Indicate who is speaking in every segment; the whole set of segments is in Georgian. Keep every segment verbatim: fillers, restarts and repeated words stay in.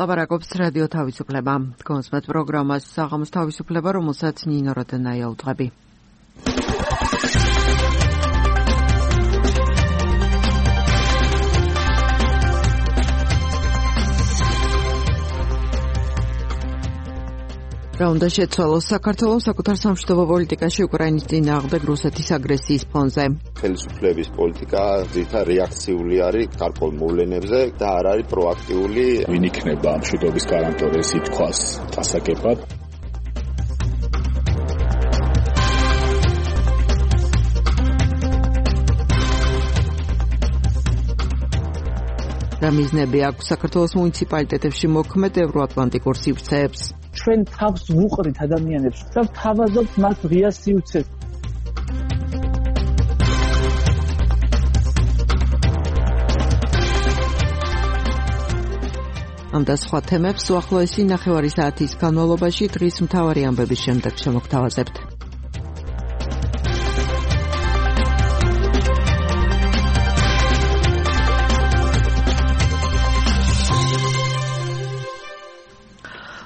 Speaker 1: ლაპარაკობს რადიო თავისუფლება. კონსმეთ პროგრამას საღამოს თავისუფლება, რომელსაც ნინო როდენაია უტყები. რა უნდა შეცვალოს საქართველოს საკუთარ სამშვიდობო პოლიტიკაში უკრაინის წინააღმდეგ რუსეთის აგრესიის ფონზე.
Speaker 2: ხელისუფლების პოლიტიკა ძირითადად რეაქციული არის გარკვეულ მოვლენებზე და არ არის პროაქტიული.
Speaker 3: ვინ იქნება მშვიდობის გარანტორი, ეს ითქვას დასაგებად.
Speaker 1: რა მიზნები აქვს საქართველოს მუნიციპალიტეტებში მოქმედ ევროატლანტიკურ სივრცეებს?
Speaker 4: ჩვენ თავს ვუყრით ადამიანებს და ვთავაზობთ მათ ღია სივრცეს.
Speaker 1: ამ და სხვა თემებს უახლოესი ნახევარი საათის განმავლობაში დღის მთავარი ამბების შემდეგ შემოგთავაზებთ.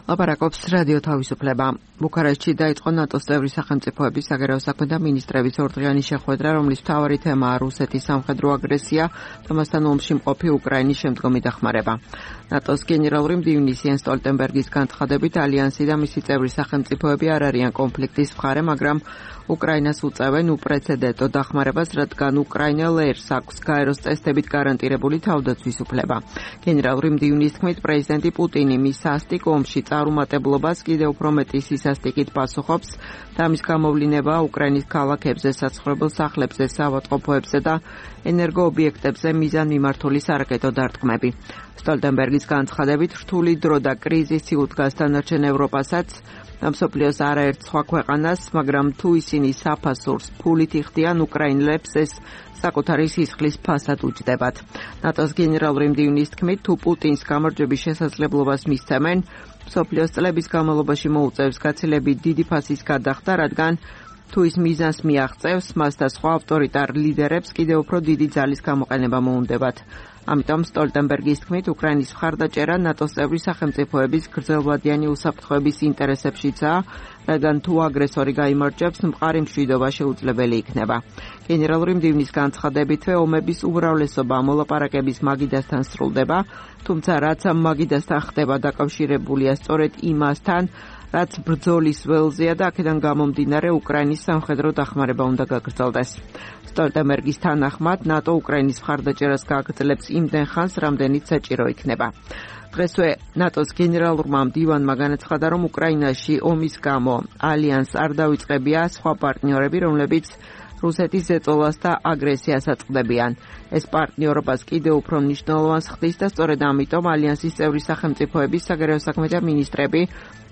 Speaker 1: ლაპარაკობს რადიო თავისუფლება. ბუქარესტში დაიწყო ნატოს წევრი სახელმწიფოების საგარეო საქმეთა მინისტრების ორდღიანი შეხვედრა, რომლის მთავარი თემაა რუსეთის სამხედრო აგრესია და მასთან ომში მყოფი უკრაინის შემდგომი დახმარება. ნატოს გენერალური მდივნის იენს სტოლტენბერგის განცხადებით, ალიანსი და მისი წევრი სახელმწიფოები არ არიან კონფლიქტის მხარე, მაგრამ უკრაინას უწევენ უპრეცედენტო დახმარებას, რადგან უკრაინელ ერს აქვს გაეროს წესდებით გარანტირებული თავდაცვის უფლება. გენერალური მდივნის თქმით, პრეზიდენტი პუტინი მის სასტიკ ომში წარუმატებლობას კიდევ უფრო მეტი სისასტიკით პასუხობს და ამის გამოვლინებაა უკრაინის ქალაქებზე, საცხოვრებელ სახლებზე, საავადმყოფოებზე და ენერგოობიექტებზე მიზანმიმართული სარაკეტო დარტყმები. სტოლტენბერგის განცხადებით, რთული დრო და კრიზისი უდგას დანარჩენ ევროპასაც და მსოფლიოს არაერთ სხვა ქვეყანას, მაგრამ თუ ისინი საფასურს ფულით იხდიან, უკრაინელებს ეს საკუთარი სისხლის ფასად უჯდებათ. ნატოს გენერალური მდივნის თქმით, თუ პუტინს გამარჯვების შესაძლებლობას მისცემენ, მსოფლიოს წლების განმავლობაში მოუწევს გაცილებით დიდი ფასის გადახდა, რადგან თუ ის მიზანს მიაღწევს, მას და სხვა ავტორიტარ ლიდერებს კიდევ უფრო დიდი ძალის გამოყენება მოუნდებათ. ამიტომ სტოლტენბერგის თქმით, უკრაინის მხარდაჭერა ნატოს წევრი სახელმწიფოების გრძელვადიანი უსაფრთხოების ინტერესებშიცაა, რადგან თუ აგრესორი გაიმარჯვებს, მყარი მშვიდობა შეუძლებელი იქნება. გენერალური მდივნის განცხადებითვე, ომების უმრავლესობა მოლაპარაკების მაგიდასთან სრულდება, თუმცა რაც ამ მაგიდასთან ხდება დაკავშირებულია სწორედ იმასთან, რაც ბრძოლის ველზეა და აქედან გამომდინარე უკრაინის სამხედრო დახმარება უნდა გაგრძელდეს. სტოლტენბერგის თანახმად, ნატო უკრაინის მხარდაჭერას გააგრძელებს იმდენ ხანს, რამდენიც საჭირო იქნება. დღესვე ნატოს გენერალურმა მდივანმა განაცხადა, რომ უკრაინაში ომის გამო ალიანსს არ დავიწყებია სხვა პარტნიორები, რომლებიც რუსეთის ზეწოლას და აგრესიას აწყდებიან. ეს პარტნიორობას კიდევ უფრო მნიშვნელოვანს ხდის და სწორედ ამიტომ ალიანსის წევრი სახელმწიფოების საგარეო საქმეთა მინისტრები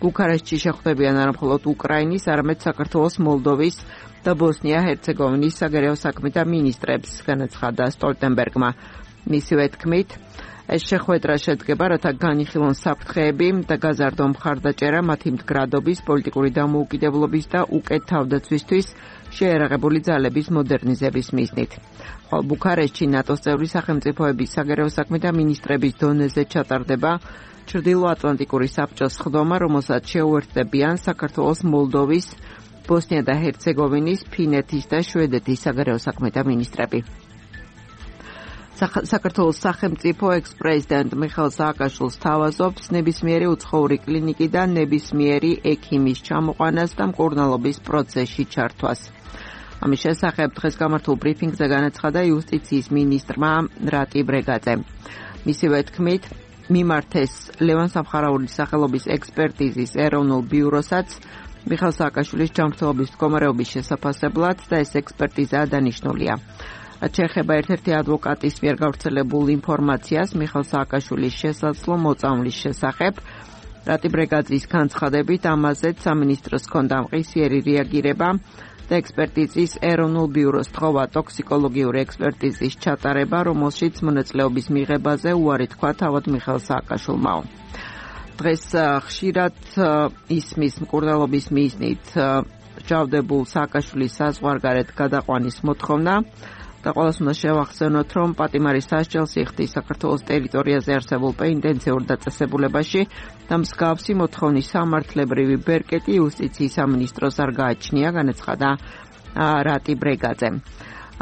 Speaker 1: ბუქარესტში შეხვდებიან არა მხოლოდ უკრაინის, არამედ საქართველოს, მოლდოვის და ბოსნია-ჰერცეგოვინის საგარეო საქმეთა მინისტრებს, განაცხადა სტოლტენბერგმა. მისივე თქმით, ეს შეხვედრა შედგება, რათა განიხილონ საფრთხეები და გაზარდონ მხარდაჭერა მათი მდგრადობის, პოლიტიკური დამოუკიდებლობის და უკეთ თავდაცვისთვის შეერაღებული ძალების მოდერნიზების მიზნით. ხოლო ბუქარესტში ნატოს წევრი სახელმწიფოების საგარეო საქმეთა მინისტრების დონეზე ჩატარდება ჩრდილოატლანტიკური საბჭოს სხდომა, რომელსაც შეუერთდებიან საქართველოს, მოლდოვის, ბოსნია და ჰერცეგოვინის, ფინეთის და შვედეთის საგარეო საქმეთა მინისტრები. საქართველოს სახელმწიფო ექს-პრეზიდენტ მიხეილ სააკაშვილს თავაზობს ნებისმიერი უცხოური კლინიკიდან ნებისმიერი ექიმის ჩამოყვანას და მკურნალობის პროცესში ჩართვას. ამის შესახებ დღეს გამართულ ბრიფინგზე განაცხადა იუსტიციის მინისტრმა რატი ბრეგაძემ. მისივე თქმით, მიმართეს ლევან სამხარაულის სახელობის ექსპერტიზის ეროვნულ ბიუროსაც მიხეილ სააკაშვილის ჯანმრთელობის მდგომარეობის შესაფასებლად და ეს ექსპერტიზაა დანიშნულია. რაც შეეხება ერთ-ერთი ადვოკატის მიერ გავრცელებულ ინფორმაციას მიხეილ სააკაშვილის შესაძლო მოწამვლის შესახებ, რატი ბრეგაძის განცხადებით, ამაზეც სამინისტროს ჰქონდა მყისიერი რეაგირება და ექსპერტიზის ეროვნულ ბიუროს თხოვა ტოქსიკოლოგიური ექსპერტიზის ჩატარება, რომელშიც მონაწილეობის მიღებაზე უარი თქვა თავად მიხეილ სააკაშვილმა. დღეს ხშირად ისმის მკურნალობის მიზნით ჯავდებულ სააკაშვილის საზღვარგარეთ გადაყვანის მოთხოვნა, და ყველას უნდა შევახსენოთ, რომ პატიმარის სასჯელს იხდის საქართველოს ტერიტორიაზე არსებულ პენიტენციურ დაწესებულებაში და მსგავსი მოთხოვნის სამართლებრივი ბერკეტი იუსტიციის სამინისტროს არ გააჩნია, განაცხადა რატი ბრეგაძემ.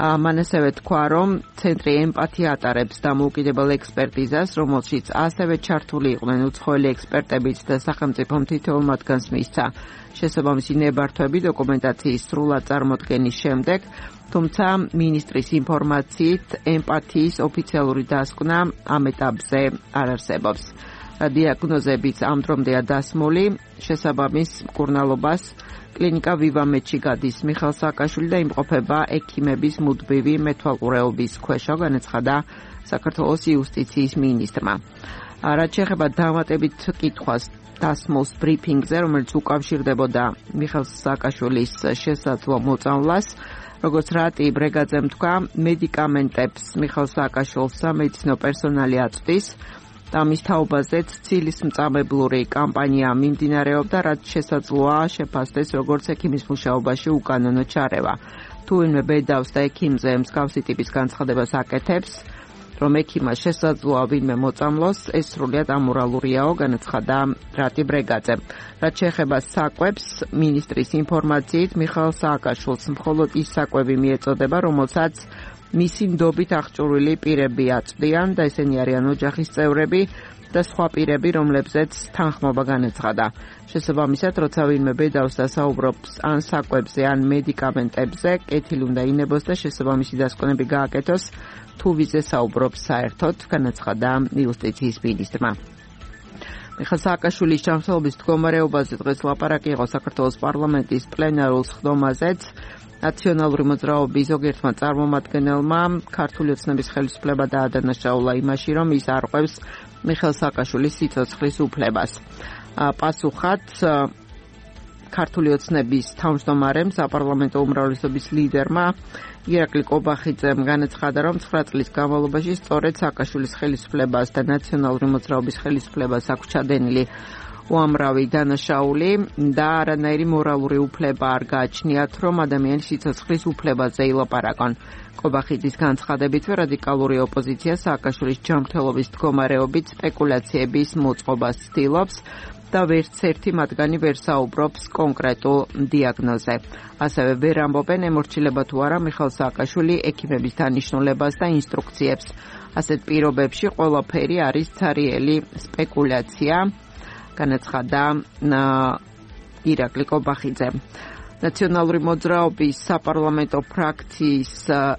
Speaker 1: მან ასევე თქვა, რომ ცენტრი ემპათია ატარებს დამოუკიდებელ ექსპერტიზას, რომელშიც ასევე ჩართული იყვნენ უცხოელი ექსპერტებიც და სახელმწიფომ თითოეულ მათგანს მისცა შესაბამისი ნებართვები დოკუმენტაციის სრულად წარმოდგენის შემდეგ, თუმცა მინისტრის ინფორმაციით ემპათიის ოფიციალური დასკვნა ამ ეტაპზე არ არსებობს. დიაგნოზებიც ამ დრომდეა დასმული, შესაბამის მკურნალობას კლინიკა ვივამედში გადის მიხელ სააკაშვილი და იმყოფება ექიმების მუდმივი მეთვალყურეობის ქვეშ, განაცხადა საქართველოს იუსტიციის მინისტრმა. რაც შეეხება დამატებით კითხვას დასმულს ბრიფინგზე, რომელიც უკავშირდებოდა მიხელ სააკაშვილის შესაძლო მოწამვლას, როგორც რატი ბრეგაძემ თქვა, მედიკამენტებს მიხელ სააკაშვილს სამედიცინო პერსონალი აწვდის და მის თაობაზეც ცილის მწამებლური კამპანია მიმდინარეობდა, რაც შესაძლოა შეფასდეს როგორც ექიმის მუშაობაში უკანონო ჩარევა. თუ ვინმე ბედავს და ექიმზე მსგავსი ტიპის განცხადებას აკეთებს, რომ ექიმას შესაძლოა ვინმე მოწამლოს, ეს სრულიად ამორალურიაო, განაცხადა რატი ბრეგაძემ. რაც შეეხება საკვებს, მინისტრის ინფორმაციით მიხელ სააკაშვილს მხოლოდ ის საკვები მიეწოდება, რომელსაც მისი ნდობით აღჭურვილი პირები აწვდიან და ესენი არიან ოჯახის წევრები და სხვა პირები, რომლებზეც თანხმობა განაცხადა. შესაბამისად, როცა ვინმე ბედავს და საუბრობს ან საკვებზე, ან მედიკამენტებზე, კეთილი უნდა ინებოს და შესაბამისი დასკვნები გააკეთოს, თუ ვიზე საუბრობს საერთოდ, განაცხადა იუსტიციის მინისტრმა. მიხელ სააკაშვილის ჯანმრთელობის მდგომარეობაზე დღეს ლაპარაკი იყო საქართველოს პარლამენტის პლენარულ სხდომაზეც. ნაციონალური მოძრაობის ზოგიერთმა წარმომადგენელმა ქართული ოცნების ხელისუფლება დაადანაშაულა იმაში, რომ ის არყვევს მიხელ სააკაშვილის სიცოცხლის უფლებას. პასუხად ქართული ოცნების თავმჯდომარემ, საპარლამენტო უმრავლესობის ლიდერმა ირაკლი კობახიძემ განაცხადა, რომ ცხრა წლის განმავლობაში სწორედ სააკაშვილის ხელისუფლებას და ნაციონალური მოძრაობის ხელისუფლებას აქვს ჩადენილი უამრავი დანაშაული და არანაირი მორალური უფლება არ გააჩნიათ, რომ ადამიანის სიცოცხლის უფლებაზე ილაპარაკონ. კობახიძის განცხადებით, რადიკალური ოპოზიცია სააკაშვილის ჯანმრთელობის მდგომარეობით სპეკულაციების მოწყობას ცდილობს და ვერც ერთი მათგანი ვერ საუბრობს კონკრეტულ დიაგნოზზე. ასევე ვერ ამბობენ ემორჩილება თუ არა მიხელ სააკაშვილი ექიმების დანიშნულებას და ინსტრუქციებს. ასეთ პირობებში ყველაფერი არის ცარიელი სპეკულაცია, განაცხადა ირაკლი კობახიძე. ნაციონალური მოძრაობის საპარლამენტო ფრაქციის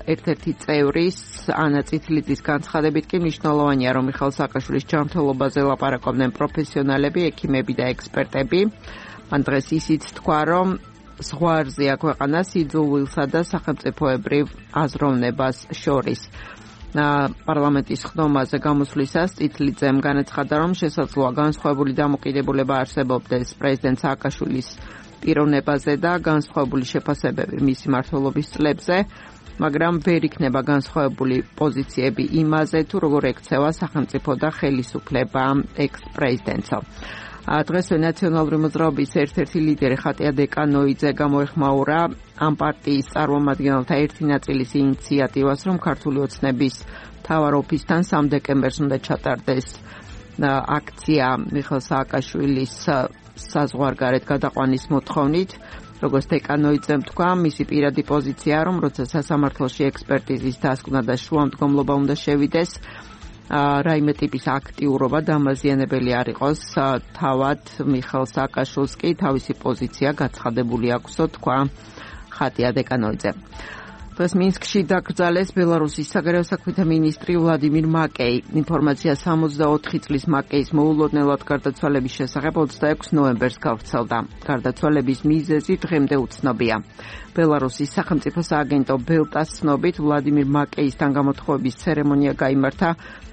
Speaker 1: ერთ-ერთი წევრის ანა წითლიძის განცხადებით კი მნიშვნელოვანია, რომ მიხელ სააკაშვილის ჯანმრთელობაზე ლაპარაკობდნენ პროფესიონალები, ექიმები და ექსპერტები. მან დღეს ისიც თქვა, რომ ზღვარზეა ქვეყანა სიძულვილსა და სახელმწიფოებრივ აზროვნებას შორის. პარლამენტის ხდომაზე გამოსვლისას წითლიძემ განაცხადა, რომ შესაძლოა განსხვავებული დამოკიდებულება არსებობდეს პრეზიდენტ სააკაშვილის პიროვნებაზე და განსხვავებული შეფასებები მისი მმართველობის წლებზე, მაგრამ ვერ იქნება განსხვავებული პოზიციები იმაზე, თუ როგორ ექცევა სახელმწიფო და ხელისუფლება ექს-პრეზიდენტსო. დღესვე ნაციონალური მოძრაობის ერთ-ერთი ლიდერი ხატია დეკანოიძე გამოეხმაურა ამ პარტიის წარმომადგენელთა ერთი ნაწილის ინიციატივას, რომ ქართული ოცნების მთავარ ოფისთან სამ დეკემბერს უნდა ჩატარდეს აქცია მიხელ სააკაშვილის საზღვარგარეთ გადაყვანის მოთხოვნით. როგორც დეკანოიძემ თქვა, მისი პირადი პოზიცია, რომ როცა სასამართლოში ექსპერტიზის დასკვნა და შუამდგომლობა უნდა შევიდეს, რაიმე ტიპის აქტიურობა დამაზიანებელი არ იყოს, თავად მიხელ სააკაშვილს კი თავისი პოზიცია გაცხადებული აქვსო, თქვა ხატია დეკანოიძე. დღეს მინსკში დაკრძალეს ბელარუსის საგარეო საქმეთა მინისტრი ვლადიმირ მაკეი. ინფორმაცია სამოცდაოთხი წლის მაკეის მოულოდნელად გარდაცვალების შესახებ ოცდაექვსი ნოემბერს გავრცელდა. გარდაცვალების მიზეზი დღემდე უცნობია. ბელარუსის სახელმწიფო სააგენტო ბელტას ცნობით ვლადიმირ მაკეისთან გამოთხოვების ცერემონია გაიმართა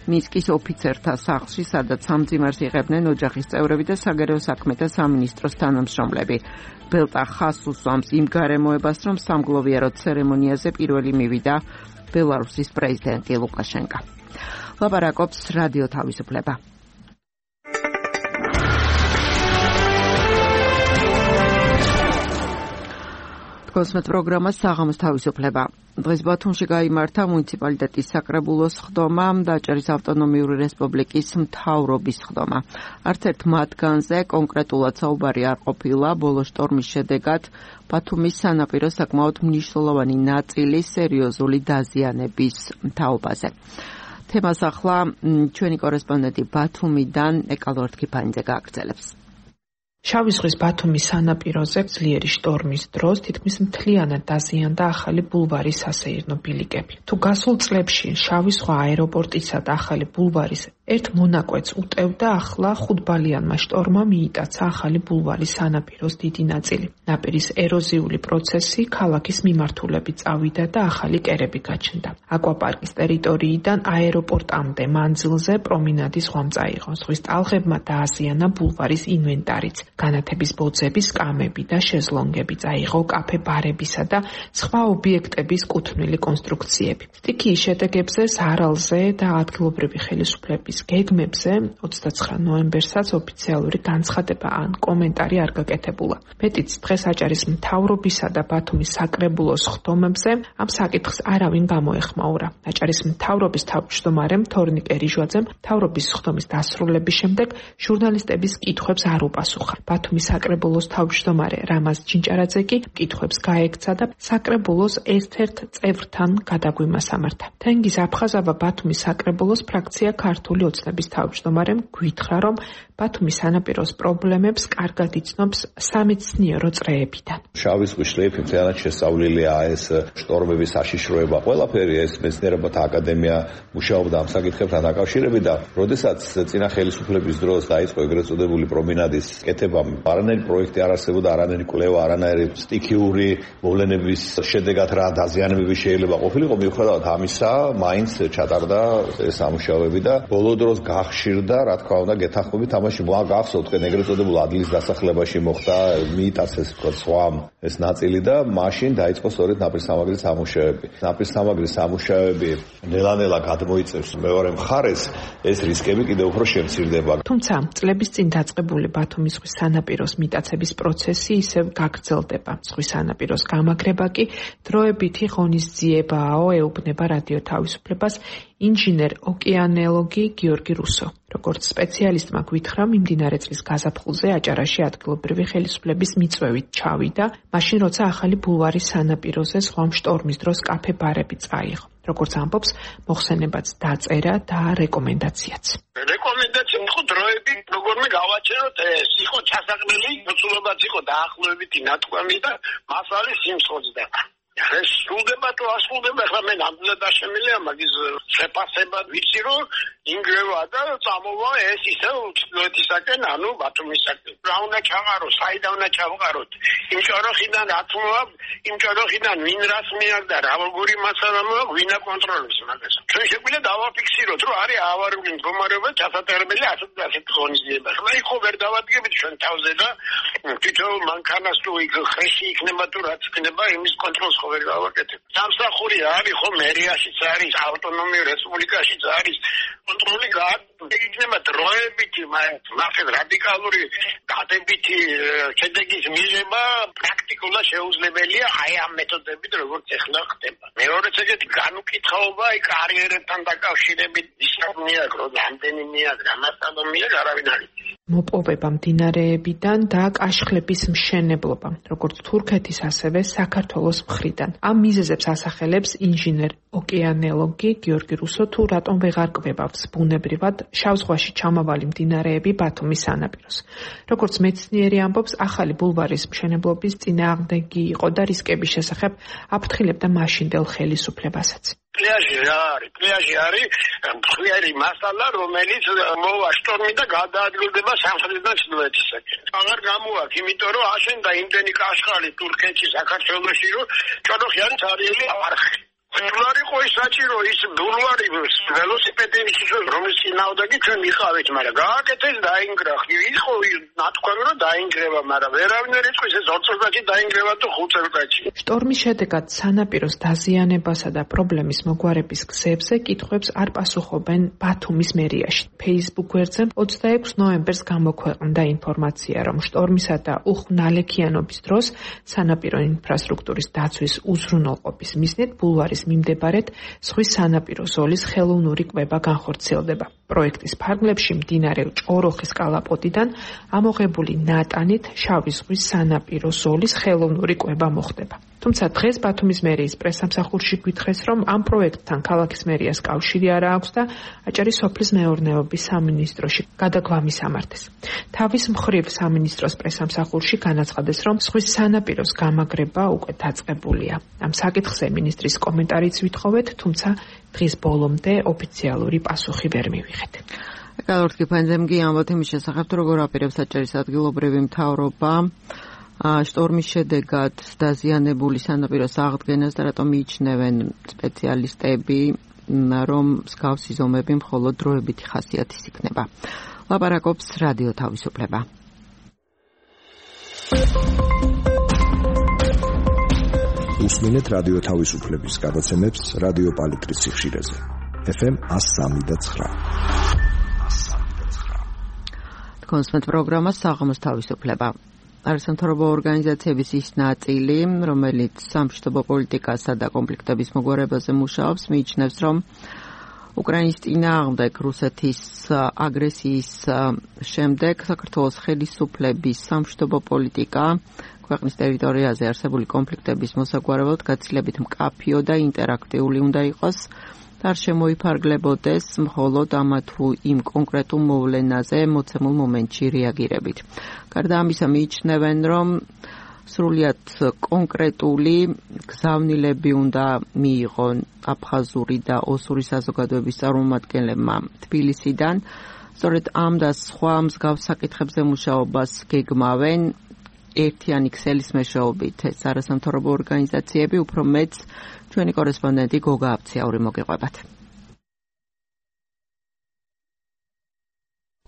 Speaker 1: მინსკის ოფიცერთა სახლში, სადაც სამძიმარს იღებდნენ ოჯახის წევრები და საგარეო საქმეთა სამინისტროს თანამშრომლები. ბელტა ხაზს უსვამს იმ გარემოებას, რომ სამგლოვიარო ცერემონიაზე პირველი მივიდა ბელარუსის პრეზიდენტი ლუკაშენკა. ლაპარაკობს რადიო თავისუფლება. Თქვენს პროგრამა საღამოს თავისუფლება. დღეს ბათუმში გაიმართა მუნიციპალიტეტის საკრებულოს ხდომა, დაჭერის ავტონომიური რესპუბლიკის მთავრობის ხდომა. არც ერთ მათგანზე კონკრეტულად საუბარი არ ყოფილა. ბოლო შტორმის შედეგად ბათუმის სანაპიროს საკმაოდ მნიშვნელოვანი ნაწილი სერიოზული დაზიანების თაობაზე. თემას ახლა ჩვენი კორესპონდენტი ბათუმიდან ეკალორთ ქიფანიძე გააგრძელებს.
Speaker 5: შავი ზღვის ბათუმის სანაპიროზე ძლიერი შტორმის დროს თითქმის მთლიანად დაზიანდა ახალი ბულვარის სასეირნო ბილიკები. თუ გასულ წლებში შავი ზღვა აეროპორტისა და ახალი ბულვარის ერთ მონაკვეთს უტევდა, ახლა ხუთბალიანმა შტორმმა მიიტაცა ახალი ბულვარის სანაპიროს დიდი ნაწილი. ნაპირის ეროზიული პროცესი ქალაქის მიმართულებით წავიდა და ახალი კერები გაჩნდა. აკვაპარკის ტერიტორიიდან აეროპორტამდე მანძილზე პრომინადის ღვამ წაიღო. ზღვის ტალღებმა დააზიანა ბულვარის ინვენტარიც. განათების ბოძები, სკამები და შეზლონგები წაიღო კაფე-ბარებისა და სხვა ობიექტების კუთვნილი კონსტრუქციები. სტიქიის შედეგებზე, ზარალზე და ადგილობრივი ხელისუფლების გეგმებზე ოცდაცხრა ნოემბერსაც ოფიციალური განცხადება ან კომენტარი არ გაკეთებულა. მეტიც დღეს აჭარის მთავრობისა და ბათუმის საკრებულოს ხდომებზე ამ საკითხს არავინ გამოეხმაურა. აჭარის მთავრობის თავმჯდომარემ თორნიკე რიჟვაძემ მთავრობის ხდომის დასრულების შემდეგ ჟურნალისტების კითხვებს არ უპასუხა. ბათუმის საკრებულოს თავმჯდომარე რამაზ ჩინჭარაძე კი კითხვებს გაექცა და საკრებულოს ერთ-ერთ წევრთან გადაგვიმასამართა. თენგიზ აფხაზავა ბათუმის საკრებულოს ფრაქცია ქართული ოცნების თავმჯდომარემ გვითხრა, რომ ბათუმის სანაპიროს პრობლემებს კარგად იცნობს სამეცნიერო წრეებიდან.
Speaker 6: შავი ზღვის შლეიფი მთლიანად შესწავლილია, ეს შტორმების საშიშროება, ყველაფერი ეს მეცნიერებათა აკადემია მუშაობდა ამ საკითხებთან დაკავშირებით და როდესაც წინა ხელისუფლების დროს დაიწყო ეგრეთ წოდებული პრომინადის კეთება, არანაირი პროექტი არ არსებობდა, არანაირი კვლევა, არანაირი სტიქიური მოვლენების შედეგად რა დაზიანებები შეიძლება ყოფილიყო. მიუხედავად ამისა, მაინც ჩატარდა ეს სამუშაოები და ბოლო დროს გახშირდა, რა თქმა უნდა, გეთანხმებით თამაში მოაგახსოვთ, თქვენ ეგრეთ წოდებულ ადგილის დასახლებაში მოხდა, მიიტაცეს თქო სვამ ეს ნაწილი და მაშინ დაიწყო სწორედ ნაპირსამაგრის სამუშაოები. ნაპირსამაგრის სამუშაოები ნელა-ნელა გადმოიწევს მეორე მხარეს, ეს რისკები კიდევ უფრო შემცირდება.
Speaker 5: თუმცა წლების წინ დაწყებული ბათუმის ზღვის სანაპიროს მიტაცების პროცესი ისევ გაგრძელდება. ზღვის სანაპიროს გამაგრება კი დროებითი ღონისძიებაო, ეუბნება რადიო თავისუფლებას ინჟინერ ოკეანელოგი გიორგი რუსო. როგორც სპეციალისტმა გვითხრა, მიმდინარე წლის გაზაფხულზე აჭარაში ადგილობრივი ხელისუფლების მიწვევით ჩავიდა, მაშინ როცა ახალი ბულვარის სანაპიროზე ზღვამ შტორმის დროს კაფე-ბარები წაიღო. როგორც ამბობს, მოხსენებაც დაწერა და რეკომენდაციაც.
Speaker 7: რეკომენდაცია იყო დროები, როგორმე გავაჩეროთ ეს, იყო ჩასაყრელი, მოცულობაც იყო დაახლოებითი ნათქვამი და მასალის სიმსხოძდა. ეს სრულდება თუ ასრულდება, ახლა მე ნამდვილად დაშემილია მაგის შეფასება, ვიცი რომ ინგრევა და წამოვა ეს ისე უცხოეთისაკენ, ანუ ბათუმისაკენ. რა უნდა ჩაღარო, საიდან უნდა ჩავყაროთ? იმ ჭოროხიდან რა თქმა, იმ ჭოროხიდან ვინ რას მიაგდა, რა როგორი მასალა მოაქვს, ვინ აკონტროლებს მაგას. ჩვენ შეგვიძლია დავაფიქსიროთ, რომ არის ავარიული მდგომარეობა ჩასატარებელი ასეთ ასეთ ღონისძიება. ახლა იქ ხო ვერ დავადგებით ჩვენ თავზე და თვითონ მანქანას თუ იქ ხეში იქნება თუ რაც იქნება, იმის კონტროლს ვერ გავაკეთებ. სამსახური არის ხო მერიაშიც არის, ავტონომიურ რესპუბლიკაშიც არის. კონტროლი გააკეთება დროებითი, მაგრამ რადიკალური დადებითი შედეგის მიღება პრაქტიკულად შეუძლებელია აი ამ მეთოდებით, როგორც ეხლა ხდება. მეორეც ეგეთი განუკითხაობა, აი კარიერებთან დაკავშირებით ისე მიაგრო, რამდენი მიაგრა, მასალა მიაგრა, არავინ არ იცის.
Speaker 5: მოპოვება მდინარეებიდან და კაშხლების მშენებლობა, როგორც თურქეთის, ასევე საქართველოს მხრიდან. ამ მიზეზებს ასახელებს ინჟინერ ოკეანელოგი გიორგი რუსო, თუ რატომ ვეღარ კვებავს ბუნებრივად შავ ზღვაში ჩამავალი მდინარეები ბათუმის სანაპიროს. როგორც მეცნიერი ამბობს, ახალი ბულვარის მშენებლობის წინააღმდეგი იყო და რისკების შესახებ აფრთხილებდა მაშინდელ ხელისუფლებასაც.
Speaker 7: პლაჟი რა არის? პლაჟი არის მხიარი მასალა, რომელიც მოვა შტორმი და გადაადგილდება სამხრეთიდან ჩრდილოეთისაკენ. აღარ გამოაქვს, იმიტომ რომ აშენდა იმდენი კაშხალი თურქეთში, საქართველოში, რომ ჭოროხი არის არიელი არხი. ბულვარი ყო ის საჭირო ის ბულვარი ველოსიპედის რომლის წინააღმდეგი ჩვენ მიყავით, მაგრამ გააკეთეს დაინგრა. იყო ნათქვამი რომ დაინგრება, მაგრამ ვერავინ არ იტყვის ეს ორ წელიწადში დაინგრება თუ ხუთ წელიწადში.
Speaker 5: შტორმის შედეგად სანაპიროს დაზიანებასა და პრობლემის მოგვარების გზებზე კითხვებს არ პასუხობენ ბათუმის მერიაში. Facebook გვერდზე ოცდაექვსი ნოემბერს გამოქვეყნდა ინფორმაცია, რომ შტორმისა და უხნალექიანობის დროს სანაპირო ინფრასტრუქტურის დაცვის უზრუნველყოფის მიზნით ბულვარის მიმდებარედ ზღვის სანაპირო ზოლის ხელოვნური კვება განხორციელდება. პროექტის ფარგლებში მდინარე ჭოროხის კალაპოტიდან ამოღებული ნატანით შავი ზღვის სანაპირო ზოლის ხელოვნური კვება მოხდება. თუმცა დღეს ბათუმის მერიის პრესსამსახურში გვითხრეს, რომ ამ პროექტთან ქალაქის მერიას კავშირი არ აქვს და აჭარის სოფლის მეურნეობის სამინისტროში გადაგვამის ამართეს. თავის მხრივ სამინისტროს პრესსამსახურში განაცხადეს, რომ ზღვის სანაპიროს გამაგრება უკვე დაწყებულია. ამ საკითხზე მინისტრის კომენტარიც ვითხოვეთ, თუმცა დღის ბოლომდე ოფიციალური პასუხი ვერ მივიღეთ.
Speaker 1: ეკალორთკი ფანძემგი ამბობთ იმის შესახებ, როგორ აპირებს აჭარის ადგილობრივი მთავრობა შტორმის შედეგად დაზიანებული სანაპიროს აღდგენას და რატომ მიიჩნევენ სპეციალისტები, რომ მსგავსი ზომები მხოლოდ დროებითი ხასიათის იქნება. ლაპარაკობს რადიო თავისუფლება.
Speaker 8: უსმენთ რადიო თავისუფლების გადაცემებს რადიო პალიტრის სიხშირეზე. ეფ ემ εκατო სამი და ცხრა.
Speaker 1: კონსმეთ პროგრამა საღამოს თავისუფლება. არასამთავრობო ორგანიზაციების ის ნაწილი, რომელიც სამშვიდობო პოლიტიკასა და კონფლიქტების მოგვარებაზე მუშაობს, მიიჩნევს, რომ უკრაინის წინააღმდეგ რუსეთის აგრესიის შემდეგ საქართველოს ხელისუფლების სამშვიდობო პოლიტიკა ქვეყნის ტერიტორიაზე არსებული კონფლიქტების მოსაგვარებლად გაცილებით მკაფიო და ინტერაქტიული უნდა იყოს და არ შემოიფარგლებოდეს მხოლოდ ამა თუ იმ კონკრეტულ მოვლენაზე მოცემულ მომენტში რეაგირებით. გარდა ამისა მიიჩნევენ, რომ სრულიად კონკრეტული გზავნილები უნდა მიიღონ აფხაზური და ოსური საზოგადოების წარმომადგენლებმა თბილისიდან. სწორედ ამ და სხვა მსგავს საკითხებზე მუშაობას გეგმავენ ერთიანი ქსელის მეშვეობით ეს არასამთავრობო ორგანიზაციები, უფრო მეც ჩვენი კორესპონდენტი გოგა აფციაური მოგეყვებათ.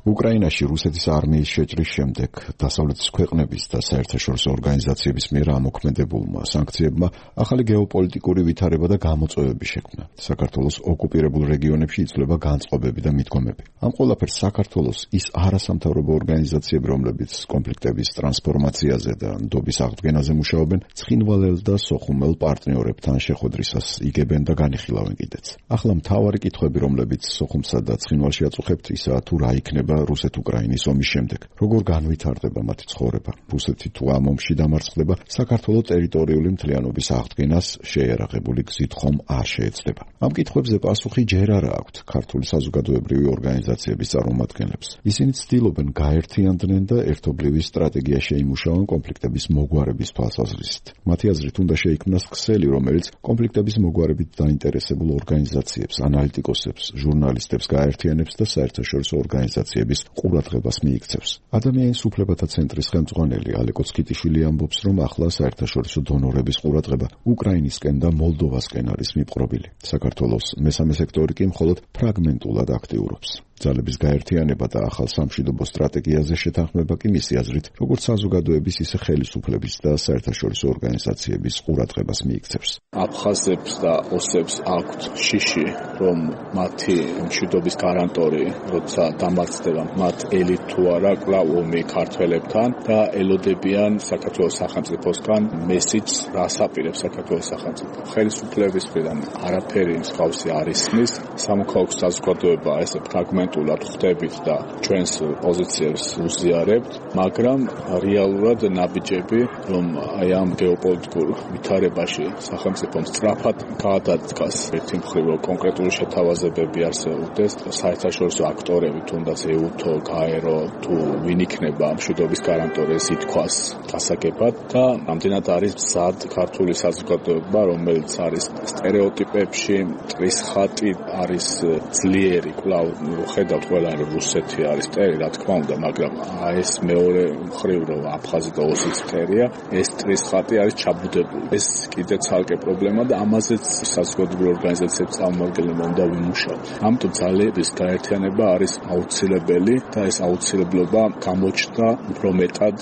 Speaker 8: უკრაინაში რუსეთის არმიის შეჭრის შემდეგ დასავლეთის ქვეყნების და საერთაშორისო ორგანიზაციების მიერ ამოქმედებულმა სანქციებმა ახალი გეოპოლიტიკური ვითარება და გამოწვევები შექმნა. საქართველოს ოკუპირებულ რეგიონებში იცვლება განწყობები და მიდგომები. ამ ყველაფერს საქართველოს ის არასამთავრობო ორგანიზაციები, რომლებიც კონფლიქტების ტრანსფორმაციაზე და ნდობის აღდგენაზე მუშაობენ, ცხინვალელ და სოხუმელ პარტნიორებთან შეხვედრისას იგებენ და განიხილავენ კიდეც. ახლა მთავარი კითხვები, რომლებიც სოხუმსა და ცხინვალში აწუხებთ, ისაა თუ რა იქნება რუსეთ-უკრაინის ომის შემდეგ. როგორ განვითარდება მათი ცხოვრება? რუსეთი თუ ამ ომში დამარცხდება, საქართველოს ტერიტორიული მთლიანობის აღდგენას შეიარაღებული გზით ხომ არ შეეცდება. ამ კითხვებზე პასუხი ჯერ არა აქვთ ქართული საზოგადოებრივი ორგანიზაციების წარმომადგენლებს. ისინი ცდილობენ გაერთიანდნენ და ერთობლივი სტრატეგია შეიმუშაონ კონფლიქტების მოგვარების თვალსაზრისით. მათი აზრით უნდა შეიქმნას ქსელი, რომელიც კონფლიქტების მოგვარებით დაინტერესებულ ორგანიზაციებს, ანალიტიკოსებს, ჟურნალისტებს გაერთიანებს და საერთაშორისო ორგანიზაციებს ყურადღებას მიიქცევს. ადამიანის უფლებათა ცენტრის ხელმძღვანელი ალეკო ცკიტიშვილი ამბობს, რომ ახლა საერთაშორისო დონორების ყურადღება უკრაინისკენ და მოლდოვასკენ არის მიპყრობილი. საქართველოს მესამე სექტორი კი მხოლოდ ფრაგმენტულად აქტიურობს. ძალების გაერთიანება და ახალ სამშვიდობო სტრატეგიაზე შეთანხმება კი მისი აზრით, როგორც საზოგადოების, ისე ხელისუფლების და საერთაშორისო ორგანიზაციების ყურადღებას მიიქცევს.
Speaker 3: აფხაზებს და ოსებს აქვთ შიში, რომ მათი მშვიდობის გარანტორი, როცა დამარცხდება მათ ელით თუ არა კვლავ ომი ქართველებთან და ელოდებიან საქართველოს სახელმწიფოსგან მესიჯს, რას აპირებს საქართველოს სახელმწიფო. ხელისუფლების მხრიდან არაფერი მსგავსი არ ისმის, სამოქალაქო საზოგადოება ესე ფრაგმენტულად ხვდებით და ჩვენს პოზიციებს უზიარებთ, მაგრამ რეალურად ნაბიჯები, რომ აი ამ გეოპოლიტიკურ ვითარებაში სახელმწიფომ სწრაფად გაადადგას ერთი მხრივ კონკრეტული შეთავაზებები არსებობდეს, საერთაშორისო აქტორები, თუნდაც ეუთო, გაერო, თუ ვინ იქნება მშვიდობის გარანტორის ითქვას გასაგებად და ამდენად არის მზად ქართული საზოგადოება, რომელიც არის სტერეოტიპებში, მტრის ხატი არის ძლიერი კვლავ ხედავთ ყველა რუსეთი არის წერი, რა თქმა უნდა, მაგრამ ეს მეორე მხრივ რომ აფხაზი და ოსიც წერია, ეს ტრის ხატი არის ჩაბუდებული. ეს კიდე ცალკე პრობლემა და ამაზეც საზოგადოებრივ ორგანიზაციებს წარმომადგენლებმა უნდა ვიმუშაოთ. ამიტომ ძალების გაერთიანება არის აუცილებელი და ეს აუცილებლობა გამოჩნდა უფრო მეტად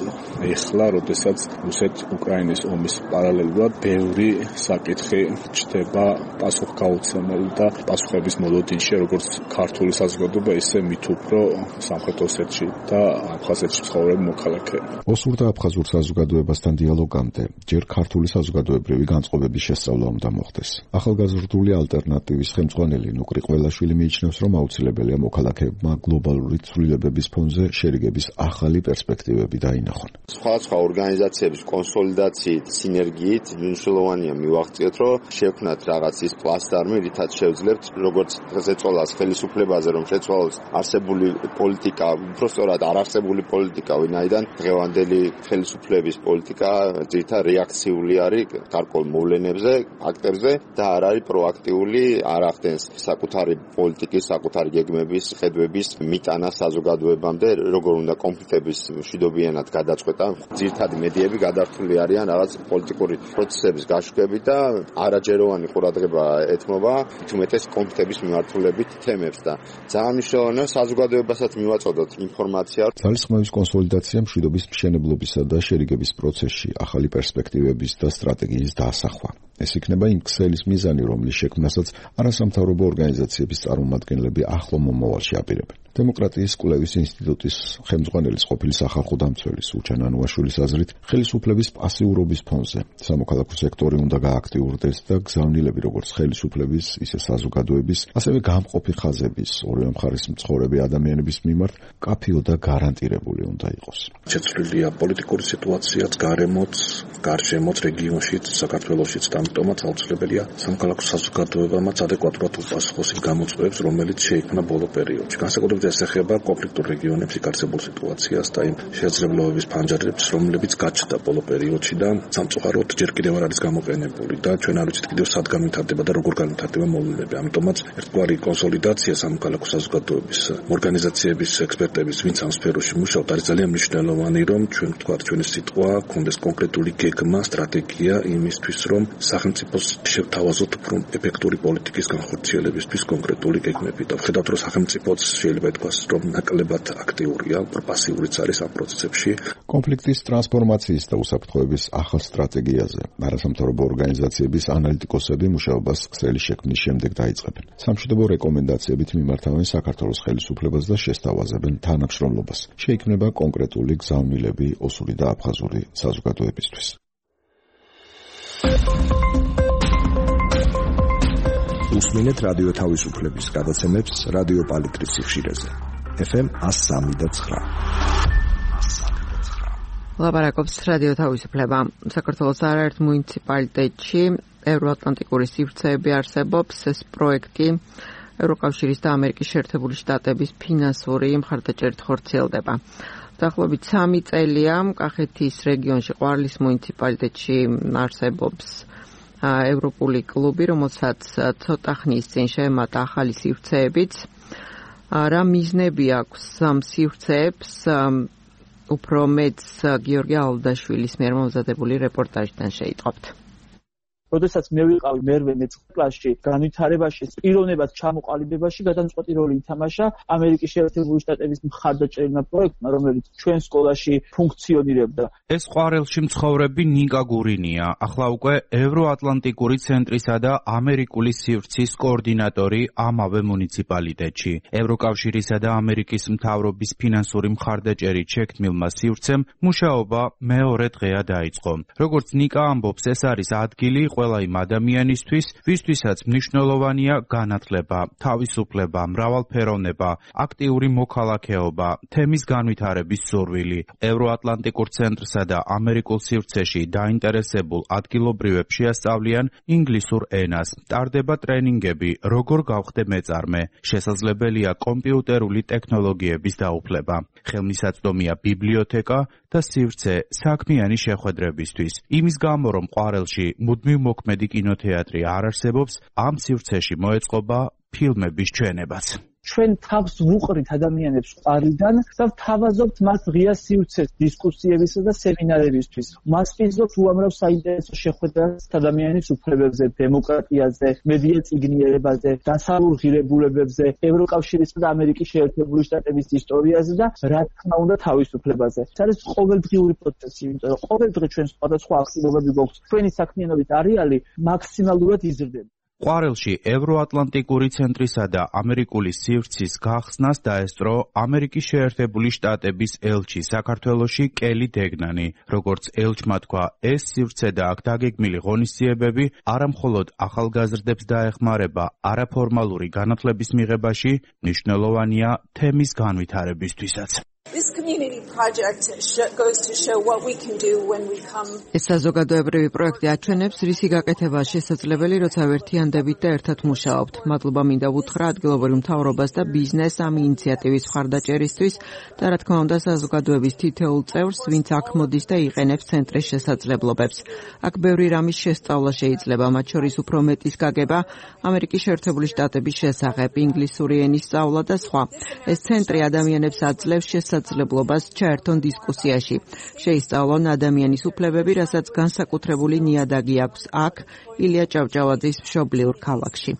Speaker 3: ეხლა, როდესაც რუსეთ-უკრაინის ომის პარალელურად ბევრი საკითხი ჩდება პასუხგაუცემელი და პასუხების მოლოდინში, როგორც ქართული საზოგადოება, ისე მით უფრო სამხრეთ ოსეთში და აფხაზეთში ცხოვრობენ მოქალაქეები.
Speaker 8: ოსურ და აფხაზურ საზოგადოებასთან დიალოგამდე ჯერ ქართული საზოგადოებრივი განწყობების შესწავლა უნდა მოხდეს. ახალგაზრდული ალტერნატივის ხელმძღვანელი ნუკრი ყველაშვილი მიიჩნევს, რომ აუცილებელია მოქალაქეებმა გლობალური ცვლილებების ფონზე შერიგების ახალი პერსპექტივები დაინახონ.
Speaker 2: სხვადასხვა ორგანიზაციების კონსოლიდაციით, სინერგიით მნიშვნელოვანია მივაღწიოთ, რომ შევქმნათ რაღაც ის პლატფორმი, რითაც შევძლებთ როგორც ზეწოლას ხელისუფლებაზე, რომ შეცვალოს არსებული პოლიტიკა, უბრალოდ არარსებული პოლიტიკა, ვინაიდან დღევანდელი ხელისუფლების პოლიტიკა ძირითადად რეაქციული არის გარკვეულ მოვლენებზე, ფაქტებზე და არ არის პროაქტიული, არ ახდენს საკუთარი პოლიტიკის, საკუთარი გეგმების, ხედვების მიტანა საზოგადოებამდე, როგორ უნდა კონფლიქტების მშვიდობიანად გადაწყვეტა. ძირითადი მედიები გადართული არიან რაღაც პოლიტიკური პროცესების გაშუქებით და არაჯეროვანი ყურადღება ეთმობა თუმეტეს კონფლიქტების მიმართულებით თემებს და ძალიან მნიშვნელოვანია საზოგადოებასაც მივაწოდოთ ინფორმაცია.
Speaker 8: ძალისხმევის კონსოლიდაცია მშვიდობის მშენებლობისა და შერიგების პროცესში ახალი პერსპექტივების და სტრატეგიის დაასახვა. ეს იქნება იმ ქსელის მიზანი, რომლის შექმნასაც არასამთავრობო ორგანიზაციების წარმომადგენლები ახლო მომავალში აპირებენ. დემოკრატიის კვლევის ინსტიტუტის ხელმძღვანელის ყოფილი სახალხო დამცველის უჩან ანუაშვილის აზრით, ხელისუფლების პასიურობის ფონზე სამოქალაქო სექტორი უნდა გააქტიურდეს და გზავნილები როგორც ხელისუფლების, ისე საზოგადოების, ასევე გამყოფი ხაზების, ორივე მხარის მცხოვრები ადამიანების მიმართ კაფიო და გარანტირებული უნდა იყოს.
Speaker 9: შეცვლილია პოლიტიკური სიტუაციაც, გარემოც, გარშემოც, რეგიონშიც, საქართველოშიც და ამიტომაც აუცილებელია სამოქალაქო საზოგადოებამაც ადეკვატურად უპასუხოს იმ გამოწვევებს, რომელიც შეიქმნა ბოლო პერიოდში. განსაკუთრებით ეს ეხება კონფლიქტურ რეგიონებში იქარსებულ სიტუაციას და იმ შესაძლებლობების ფანჯარებს, რომლებიც გაჩნდა ბოლო პერიოდში და სამწუხაროდ ჯერ კიდევ არ არის გამოყენებული და ჩვენ არ ვიცით კიდევ სად განვითარდება და როგორ განვითარდება მოვლენები. ამიტომაც ერთგვარი კონსოლიდაცია სამოქალაქო საზოგადოების ორგანიზაციების, ექსპერტების, ვინც ამ სფეროში მუშაობთ, არის ძალიან მნიშვნელოვანი, რომ ჩვენ ვთქვათ, ჩვენი სიტყვა კონდეს კონკრეტული გეგმა, სტრატეგია იმისთვის, რომ სახელმწიფოს შევთავაზოთ უფრო ეფექტური პოლიტიკის განხორციელებისთვის კონკრეტული გეგმები და ვხედავთ, რომ სახელმწიფოც შეიძლება ითქვას, რომ ნაკლებად აქტიურია, უფრო პასიურიც არის ამ პროცესებში.
Speaker 8: კონფლიქტის ტრანსფორმაციის და უსაფრთხოების ახალ სტრატეგიაზე არასამთავრობო ორგანიზაციების ანალიტიკოსები მუშაობას ქსელის შექმნის შემდეგ დაიწყებენ. სამშვიდობო რეკომენდაციებით მიმართავენ საქართველოს ხელისუფლებას და შესთავაზებენ თანამშრომლობას. შეიქმნება კონკრეტული გზავნილები ოსური და აფხაზური საზოგადოებისთვის.
Speaker 10: უსმინეთ რადიო თავისუფლების გადაცემებს რადიო პალიტრის სიხშირეზე. ეფ ემ one oh three point nine.
Speaker 1: ლაპარაკობს რადიო თავისუფლება. საქართველოს არაერთ მუნიციპალიტეტში ევროატლანტიკური სივრცეები არსებობს. ეს პროექტი ევროკავშირის და ამერიკის შეერთებული შტატების ფინანსური მხარდაჭერით ხორციელდება. დაახლოებით სამი წელია კახეთის რეგიონში ყვარლის მუნიციპალიტეტში არსებობს ევროპული კლუბი, რომელსაც ცოტა ხნის წინ შეემატა ახალი სივრცეებიც. რა მიზნები აქვს ამ სივრცეებს? უფრო მეც გიორგი ალდაშვილის მიერ მომზადებული რეპორტაჟიდან შეიტყობთ.
Speaker 4: როდესაც მე ვიყავი მერვე მეცხრე კლასში, განვითარებაში, პიროვნებად ჩამოყალიბებაში გადამწყვეტი როლი ითამაშა ამერიკის შეერთებული შტატების მხარდაჭერილმა პროექტმა, რომელიც ჩვენ სკოლაში ფუნქციონირებდა.
Speaker 11: ეს ყვარელში მცხოვრები ნიკა გურინია, ახლა უკვე ევროატლანტიკური ცენტრისა და ამერიკული სივრცის კოორდინატორი ამავე მუნიციპალიტეტში. ევროკავშირისა და ამერიკის მთავრობის ფინანსური მხარდაჭერით შექმნილმა სივრცემ მუშაობა მეორე დღეა დაიწყო. როგორც ნიკა ამბობს, ეს არის ადგილი ყველა იმ ადამიანისთვის, ვისთვისაც მნიშვნელოვანია განათლება, თავისუფლება, მრავალფეროვნება, აქტიური მოქალაქეობა, თემის განვითარების სურვილი. ევროატლანტიკურ ცენტრსა და ამერიკულ სივრცეში დაინტერესებულ ადგილობრივებს შეასწავლიან ინგლისურ ენას. ტარდება ტრენინგები, როგორ გავხდე მეწარმე. შესაძლებელია კომპიუტერული ტექნოლოგიების დაუფლება. ხელმისაწვდომია ბიბლიოთეკა და სივრცე საქმიანი შეხვედრებისთვის. იმის გამო, რომ ყვარელში მუდმივ მოქმედი კინოთეატრი არ არსებობს, ამ სივრცეში მოეწყობა ფილმების ჩვენებაც.
Speaker 4: ჩვენ თავს ვუყრით ადამიანებს ყარიდან და ვთავაზობთ მათ ღია სივრცეს დისკუსიებისა და სემინარებისთვის. მასპინძლობთ უამრავ საინტერესო შეხვედრას ადამიანის უფლებებზე, დემოკრატიაზე, მედია წიგნიერებაზე, დასავლურ ღირებულებებზე, ევროკავშირისა და ამერიკის შეერთებული შტატების ისტორიაზე და რა თქმა უნდა თავისუფლებაზე. ეს არის ყოველდღიური პროცესი, იმიტომ რომ ყოველდღე ჩვენ სხვადასხვა აქტივობები გვაქვს. ჩვენი საქმიანობით არეალი მაქსიმალურად იზრდება.
Speaker 11: ყვარელში ევროატლანტიკური ცენტრისა და ამერიკული სივრცის გახსნას დაესწრო ამერიკის შეერთებული შტატების ელჩი საქართველოში კელი დეგნანი. როგორც ელჩმა თქვა, ეს სივრცე და აქ დაგეგმილი ღონისძიებები არამხოლოდ ახალგაზრდებს დაეხმარება არაფორმალური განათლების მიღებაში, მნიშვნელოვანია თემის განვითარებისთვისაც.
Speaker 12: This community project goes to show what we can do when we come.
Speaker 1: ეს საზოგადოებრივი პროექტი აჩვენებს, რისი გაკეთება შესაძლებელი, როცა ვერთიანდებით და ერთად მუშაობთ. მადლობა მინდა ვუთხრა ადგილობრივ მთავრობას და ბიზნესს ამ ინიციატივის მხარდაჭერისთვის და რა თქმა უნდა საზოგადოების თითოეულ წევრს, ვინც აქ მოდის და იყენებს ცენტრის შესაძლებლობებს. აქ ბევრი რამის შესწავლა შეიძლება, მათ შორის უფრო მეტის გაგება ამერიკის შეერთებული შტატების შესახებ, ინგლისური ენის სწავლა და სხვა. ეს ცენტრი ადამიანებს აძლევს შესაძლებლობას ჩაერთონ დისკუსიაში. შეისწავლონ ადამიანის უფლებები, რასაც განსაკუთრებული ნიადაგი აქვს აქ, ილია ჭავჭავაძის მშობლიურ ქალაქში.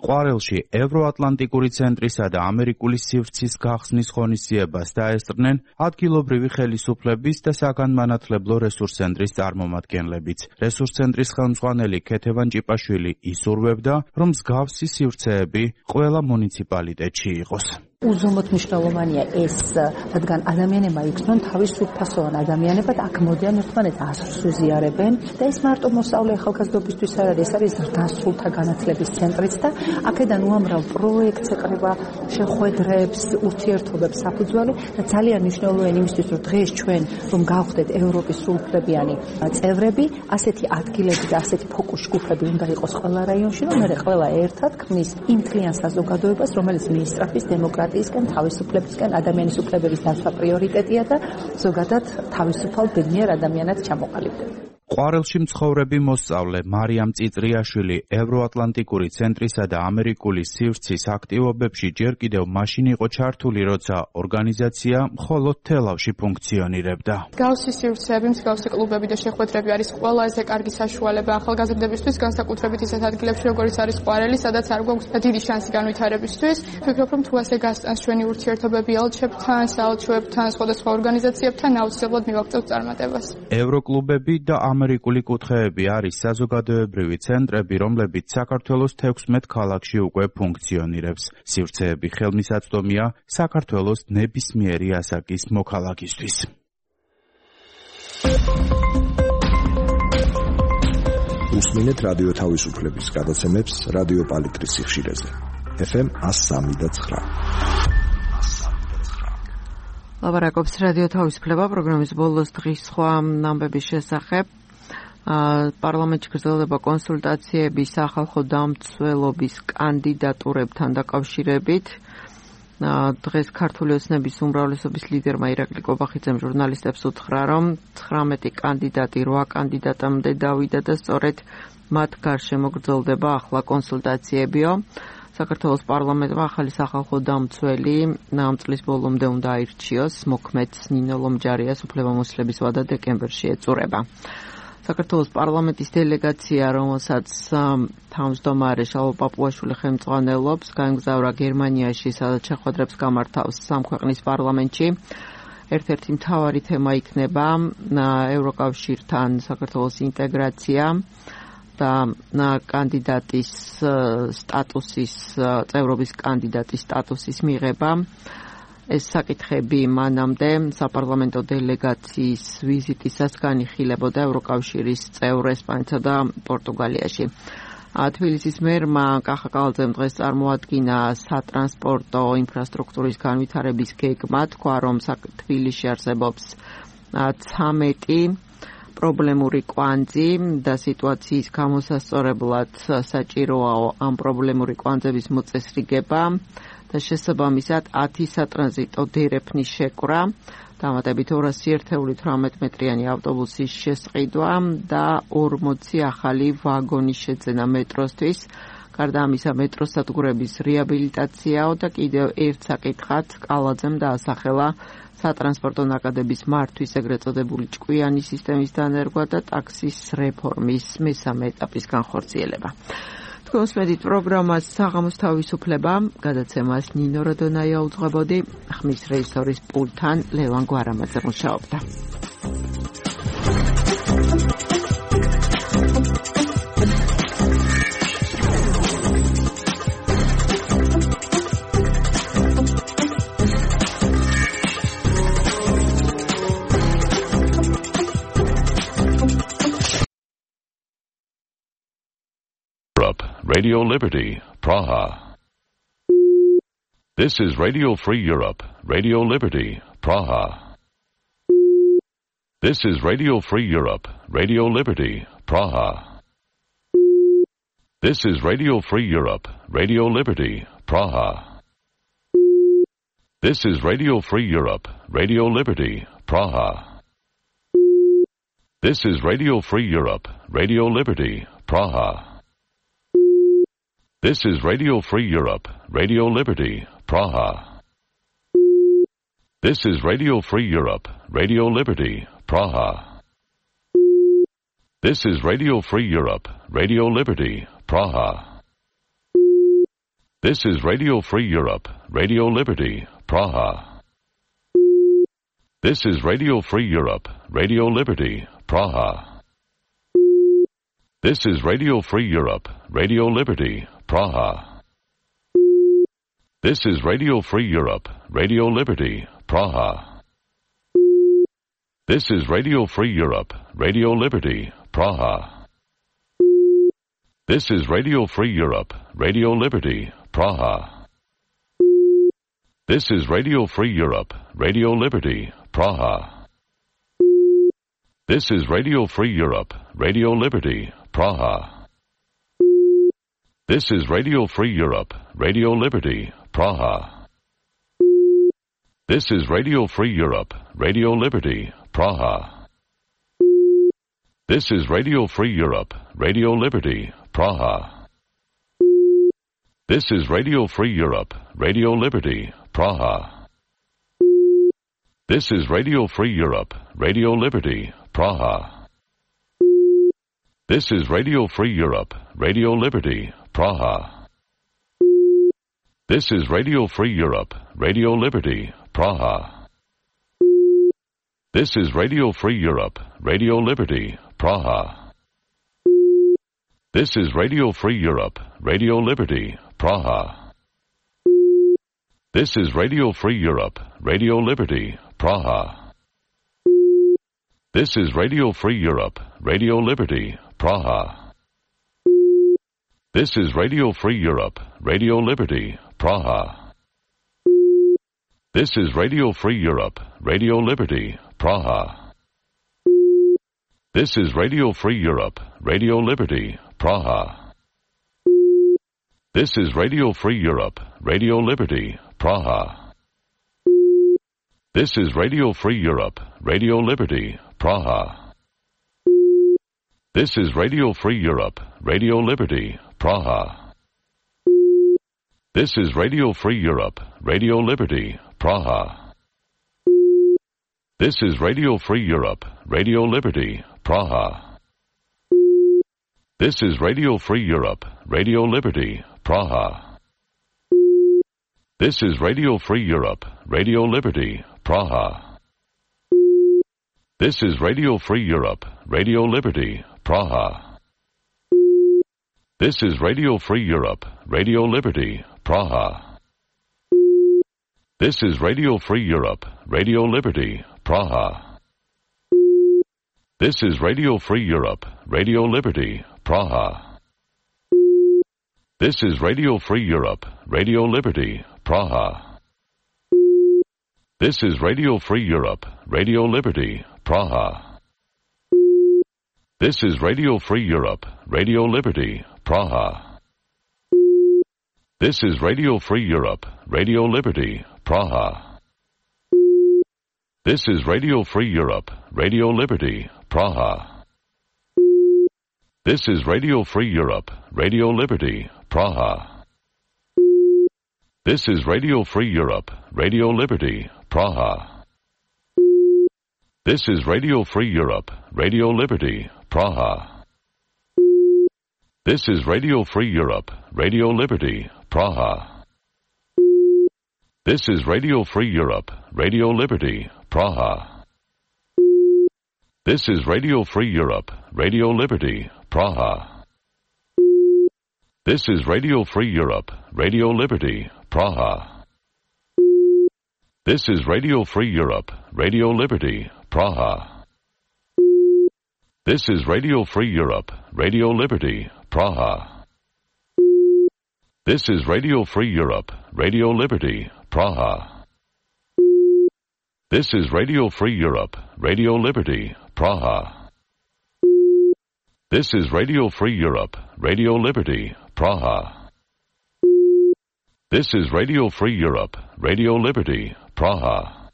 Speaker 11: ყვარელში ევროატლანტიკური ცენტრისა და ამერიკული სივრცის გახსნის ღონისძიებას დაესწრნენ ადგილობრივი ხელისუფლების და საგანმანათლებლო რესურსცენტრის წარმომადგენლებიც. რესურსცენტრის ხელმძღვანელი ქეთევან ჭიპაშვილი ისურვებდა, რომ მსგავსი სივრცეები ყველა მუნიციპალიტეტში იყოს.
Speaker 13: უზომოდ მნიშვნელოვანია ეს, რადგან ადამიანებმა იქნონ თავისუფასოვან ადამიანებად აქ მოდიან ერთმანეთს ასრს უზიარებენ და ეს მარტო მოსწავლე ახალგაზრდობისთვის არ არის, ეს არის ზრდასრულთა განათლების ცენტრიც და აქედან უამრავ პროექტს ეყრება, შეხვედრებს, ურთიერთობებს საფუძველი და ძალიან მნიშვნელოვანი იმისთვის, რომ დღეს ჩვენ რომ გავხდეთ ევროპის სრულუფლებიანი წევრები, ასეთი ადგილები და ასეთი ფოკუს ჯგუფები უნდა იყოს ყველა რაიონში, რომ მე ყველა ერთად ქმნის იმ მთლიან საზოგადოებას, რომელიც მინისტრების დემოკრატიისკენ, თავისუფლებისკენ, ადამიანის უფლებების დაცვა პრიორიტეტია და ზოგადად თავისუფალ ბედნიერ ადამიანად ჩამოყალიბდება.
Speaker 11: ყვარელში მცხოვრები მოსწავლე მარიამ წიწრიაშვილი ევროატლანტიკური ცენტრისა და ამერიკული სივრცის აქტივობებში ჯერ კიდევ მაშინ იყო ჩართული, როცა ორგანიზაცია მხოლოდ თელავში ფუნქციონირებდა.
Speaker 14: მსგავსი სივრცეები, მსგავსი კლუბები და შეხვედრები არის ყველაზე კარგი საშუალება ახალგაზრდებისთვის, განსაკუთრებით ისეთ ადგილებში, როგორიც არის ყვარელი, სადაც არ გვაქვს დიდი შანსი განვითარებისთვის. ვფიქრობ, რომ თუ ასე გასტანს ჩვენი ურთიერთობები ელჩებთან, საელჩოებთან, სხვადასხვა ორგანიზაციებთან, აუცილებლად მივაღწევთ წარმატებას.
Speaker 11: ევროკლუბები და ამერიკული კუთხეები არის საზოგადოებრივი ცენტრები, რომლებიც საქართველოს თექვსმეტ ქალაქში უკვე ფუნქციონირებს. სივრცეები ხელმისაწვდომია საქართველოს ნებისმიერი ასაკის მოქალაქისთვის.
Speaker 10: უსმინეთ რადიო თავისუფლების გადაცემებს რადიო პალიტრის სიხშირეზე. ეფ ემ one oh three point nine.
Speaker 1: ლაბარაკობს რადიო თავისუფლება პროგრამის ბოლოს დღის სხვა ამბების შესახებ. პარლამენტში გრძელდება კონსულტაციები სახალხო დამცველობის კანდიდატურებთან დაკავშირებით. დღეს ქართული ოცნების უმრავლესობის ლიდერმა ირაკლი კობახიძემ ჟურნალისტებს უთხრა, რომ ცხრამეტი კანდიდატი რვა კანდიდატამდე დავიდა და სწორედ მათ გარშემო გრძელდება ახლა კონსულტაციებიო. საქართველოს პარლამენტმა ახალი სახალხო დამცველი ამ წლის ბოლომდე უნდა აირჩიოს. მოქმედს ნინო ლომჯარიას უფლებამოსილების ვადა დეკემბერში ეწურება. საქართველოს პარლამენტის დელეგაცია, რომელსაც თავმჯდომარე შალვა პაპუაშვილი ხელმძღვანელობს, გაემგზავრა გერმანიაში, სადაც შეხვედრებს გამართავს სამ ქვეყნის პარლამენტში. ერთ-ერთი მთავარი თემა იქნება ევროკავშირთან საქართველოს ინტეგრაცია და კანდიდატის სტატუსის, წევრობის კანდიდატის სტატუსის მიღება. ეს საკითხები მანამდე საპარლამენტო დელეგაციის ვიზიტისას განიხილებოდა ევროკავშირის წევრ ესპანეთსა და პორტუგალიაში. თბილისის მერმა კახა კალაძემ დღეს წარმოადგინა სატრანსპორტო ინფრასტრუქტურის განვითარების გეგმა, თქვა, რომ თბილისში არსებობს ცამეტი პრობლემური კვანძი და სიტუაციის გამოსასწორებლად საჭიროა ამ პრობლემური კვანძების მოწესრიგება და შესაბამისად ათი სატრანზიტო დერეფნის შეკვრა, დამატებით ორასი ერთეული თვრამეტ მეტრიანი ავტობუსის შესყიდვა და ორმოცი ახალი ვაგონის შეძენა მეტროსთვის. გარდა ამისა, მეტროს სადგურების რეაბილიტაციაო და კიდევ ერთ საკითხად კალაძემ დაასახელა სატრანსპორტო ნაკადების მართვის ეგრეთ წოდებული ჭკვიანი სისტემის დანერგვა და ტაქსის რეფორმის მესამე ეტაპის განხორციელება. თქვენს მედით პროგრამას საღამოს თავისუფლება, გადაცემას ნინო როდონაია უძღვებოდი, ხმის რეჟისორის პულტთან ლევან გვარამაძე მუშაობდა.
Speaker 15: Radio Liberty, Praha. This is Radio Free Europe, Radio Liberty, Praha. This is Radio Free Europe, Radio Liberty, Praha. This is Radio Free Europe, Radio Liberty, Praha. This is Radio Free Europe, Radio Liberty, Praha. This is Radio Free Europe, Radio Liberty, Praha. This is Radio Free Europe, Radio Liberty, Praha. This is Radio Free Europe, Radio Liberty, Praha. This is Radio Free Europe, Radio Liberty, Praha. This is Radio Free Europe, Radio Liberty, Praha. This is Radio Free Europe, Radio Liberty, Praha. This is Radio Free Europe, Radio Liberty, Praha. This is Radio Free Europe, Radio Liberty, Praha. This is Radio Free Europe, Radio Liberty, Praha. This is Radio Free Europe, Radio Liberty, Praha. This is Radio Free Europe, Radio Liberty, Praha. This is Radio Free Europe, Radio Liberty, Praha. This is Radio Free Europe, Radio Liberty, Praha. This is Radio Free Europe, Radio Liberty, Praha. This is Radio Free Europe, Radio Liberty, Praha. This is Radio Free Europe, Radio Liberty, Praha. This is Radio Free Europe, Radio Liberty, Praha. This is Radio Free Europe, Radio Liberty, Praha. This is Radio Free Europe, Radio Liberty, Praha. This is Radio Free Europe, Radio Liberty, Praha. This is Radio Free Europe, Radio Liberty, Praha. This is Radio Free Europe, Radio Liberty, Praha. This is Radio Free Europe, Radio Liberty, Praha. This is Radio Free Europe, Radio Liberty, Praha. This is Radio Free Europe, Radio Liberty, Praha. This is Radio Free Europe, Radio Liberty, Praha. This is Radio Free Europe, Radio Liberty, Praha. This is Radio Free Europe, Radio Liberty, Praha. This is Radio Free Europe, Radio Liberty, Praha. This is Radio Free Europe, Radio Liberty, Praha. This is Radio Free Europe, Radio Liberty, Praha. This is Radio Free Europe, Radio Liberty, Praha. This is Radio Free Europe, Radio Liberty, Praha. This is Radio Free Europe, Radio Liberty, Praha. This is Radio Free Europe, Radio Liberty, Praha. This is Radio Free Europe, Radio Liberty, Praha. This is Radio Free Europe, Radio Liberty, Praha. This is Radio Free Europe, Radio Liberty, Praha. This is Radio Free Europe, Radio Liberty, Praha. This is Radio Free Europe, Radio Liberty, Praha. This is Radio Free Europe, Radio Liberty, Praha. This is Radio Free Europe, Radio Liberty, Praha. This is Radio Free Europe, Radio Liberty, Praha. This is Radio Free Europe, Radio Liberty, Praha. This is Radio Free Europe, Radio Liberty, Praha. This is Radio Free Europe, Radio Liberty, Praha. This is Radio Free Europe, Radio Liberty, Praha. This is Radio Free Europe, Radio Liberty, Praha. This is Radio Free Europe, Radio Liberty, Praha. This is Radio Free Europe, Radio Liberty, Praha. This is Radio Free Europe, Radio Liberty, Praha. This is Radio Free Europe, Radio Liberty, Praha. This is Radio Free Europe, Radio Liberty, Praha. This is Radio Free Europe, Radio Liberty, Praha. This is Radio Free Europe, Radio Liberty, Praha.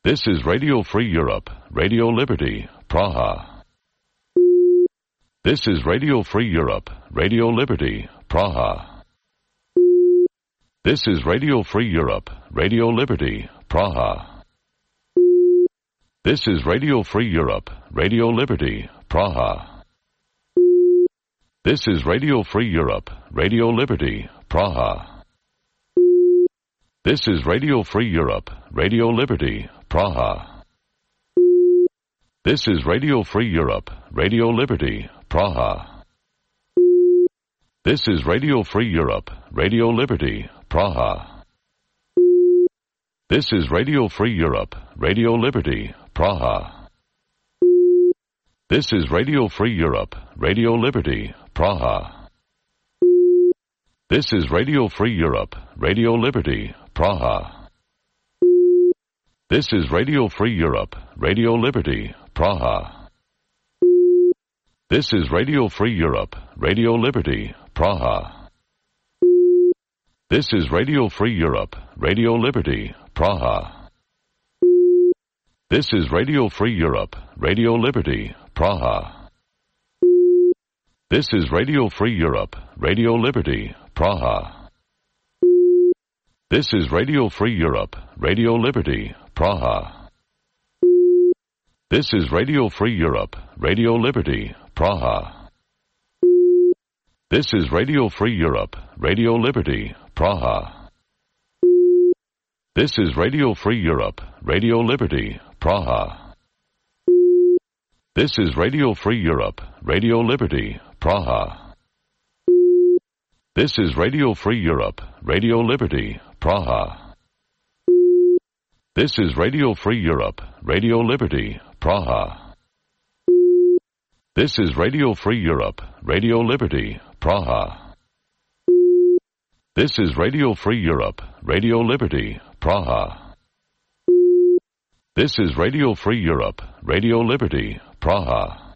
Speaker 15: This is Radio Free Europe, Radio Liberty, Praha. This is Radio Free Europe, Radio Liberty, Praha. This is Radio Free Europe, Radio Liberty, Praha. This is Radio Free Europe, Radio Liberty, Praha. This is Radio Free Europe, Radio Liberty, Praha. This is Radio Free Europe, Radio Liberty, Praha. This is Radio Free Europe, Radio Liberty, Praha. This is Radio Free Europe, Radio Liberty, Praha. This is Radio Free Europe, Radio Liberty, Praha. This is Radio Free Europe, Radio Liberty, Praha. This is Radio Free Europe, Radio Liberty, Praha. This is Radio Free Europe, Radio Liberty, Praha. This is Radio Free Europe, Radio Liberty, Praha. This is Radio Free Europe, Radio Liberty, Praha. This is Radio Free Europe, Radio Liberty, Praha. This is Radio Free Europe, Radio Liberty, Praha. This is Radio Free Europe, Radio Liberty, Praha. This is Radio Free Europe, Radio Liberty, Praha. This is Radio Free Europe, Radio Liberty, Praha. This is Radio Free Europe, Radio Liberty, Praha. This is Radio Free Europe, Radio Liberty, Praha. This is Radio Free Europe, Radio Liberty, Praha. This is Radio Free Europe, Radio Liberty, Praha. This is Radio Free Europe, Radio Liberty, Praha. This is Radio Free Europe, Radio Liberty, Praha. This is Radio Free Europe, Radio Liberty, Praha.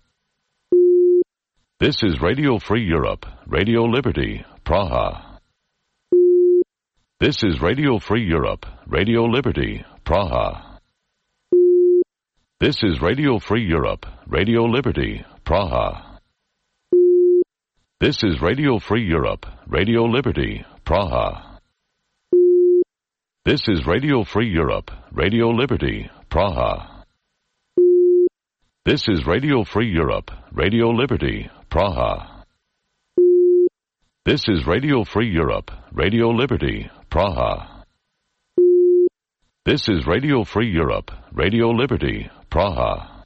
Speaker 15: This is Radio Free Europe, Radio Liberty, Praha. This is Radio Free Europe, Radio Liberty, Praha. This is Radio Free Europe, Radio Liberty, Praha. This is Radio Free Europe, Radio Liberty, Praha. This is Radio Free Europe, Radio Liberty, Praha. This is Radio Free Europe, Radio Liberty, Praha. This is Radio Free Europe, Radio Liberty, Praha. This is Radio Free Europe, Radio Liberty, Praha.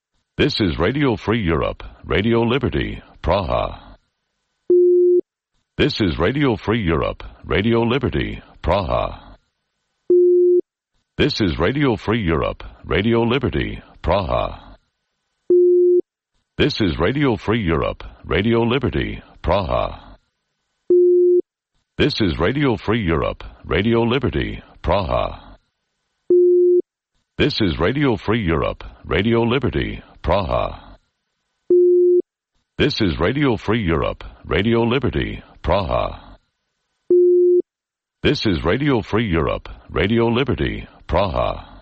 Speaker 15: This is Radio Free Europe, Radio Liberty, Praha. This is Radio Free Europe, Radio Liberty, Praha. This is Radio Free Europe, Radio Liberty, Praha. This is Radio Free Europe, Radio Liberty, Praha. This is Radio Free Europe, Radio Liberty, Praha. This is Radio Free Europe, Radio Liberty, Praha. This is Radio Free Europe, Radio Liberty, Praha. This is Radio Free Europe, Radio Liberty, Praha.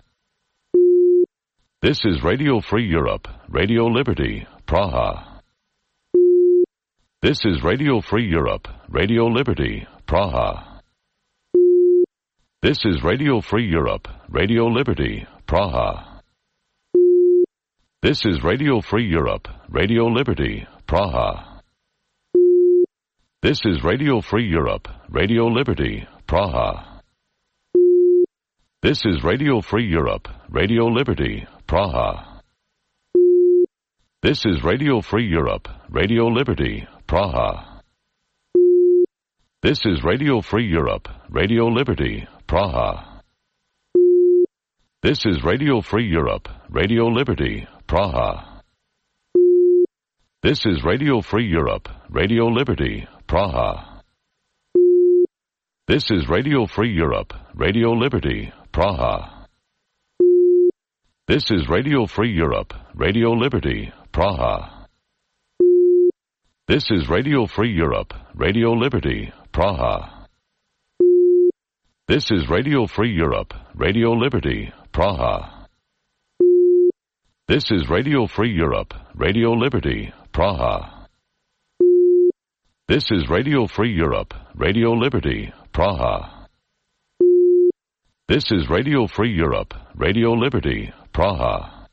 Speaker 15: This is Radio Free Europe, Radio Liberty, Praha. This is Radio Free Europe, Radio Liberty, Praha. This is Radio Free Europe, Radio Liberty, Praha. This is Radio Free Europe, Radio Liberty, Praha. This is Radio Free Europe, Radio Liberty, Praha. This is Radio Free Europe, Radio Liberty, Praha. This is Radio Free Europe, Radio Liberty, Praha. This is Radio Free Europe, Radio Liberty, Praha. This is Radio Free Europe, Radio Liberty, Praha. This is Radio Free Europe, Radio Liberty, Praha. This is Radio Free Europe, Radio Liberty, Praha. This is Radio Free Europe, Radio Liberty, Praha. This is Radio Free Europe, Radio Liberty, Praha. This is Radio Free Europe, Radio Liberty, Praha. This is Radio Free Europe, Radio Liberty, Praha. This is Radio Free Europe, Radio Liberty, Praha. This is Radio Free Europe, Radio Liberty, Praha.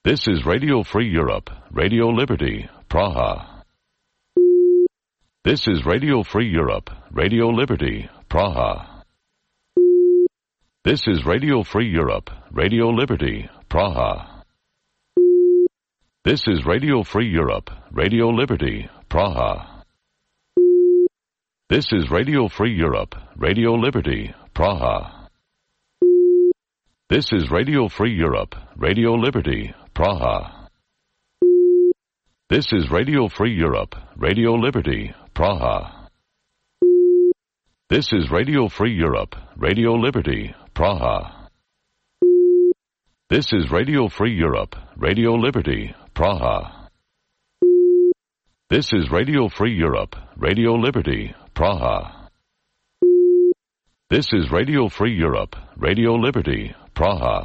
Speaker 15: This is Radio Free Europe, Radio Liberty, Praha. This is Radio Free Europe, Radio Liberty, Praha. This is Radio Free Europe, Radio Liberty, Praha. This is Radio Free Europe, Radio Liberty, Praha. This is Radio Free Europe, Radio Liberty, Praha. This is Radio Free Europe, Radio Liberty, Praha. This is Radio Free Europe, Radio Liberty, Praha. This is Radio Free Europe, Radio Liberty, Praha. This is Radio Free Europe, Radio Liberty, Praha. This is Radio Free Europe, Radio Liberty, Praha. This is Radio Free Europe, Radio Liberty, Praha.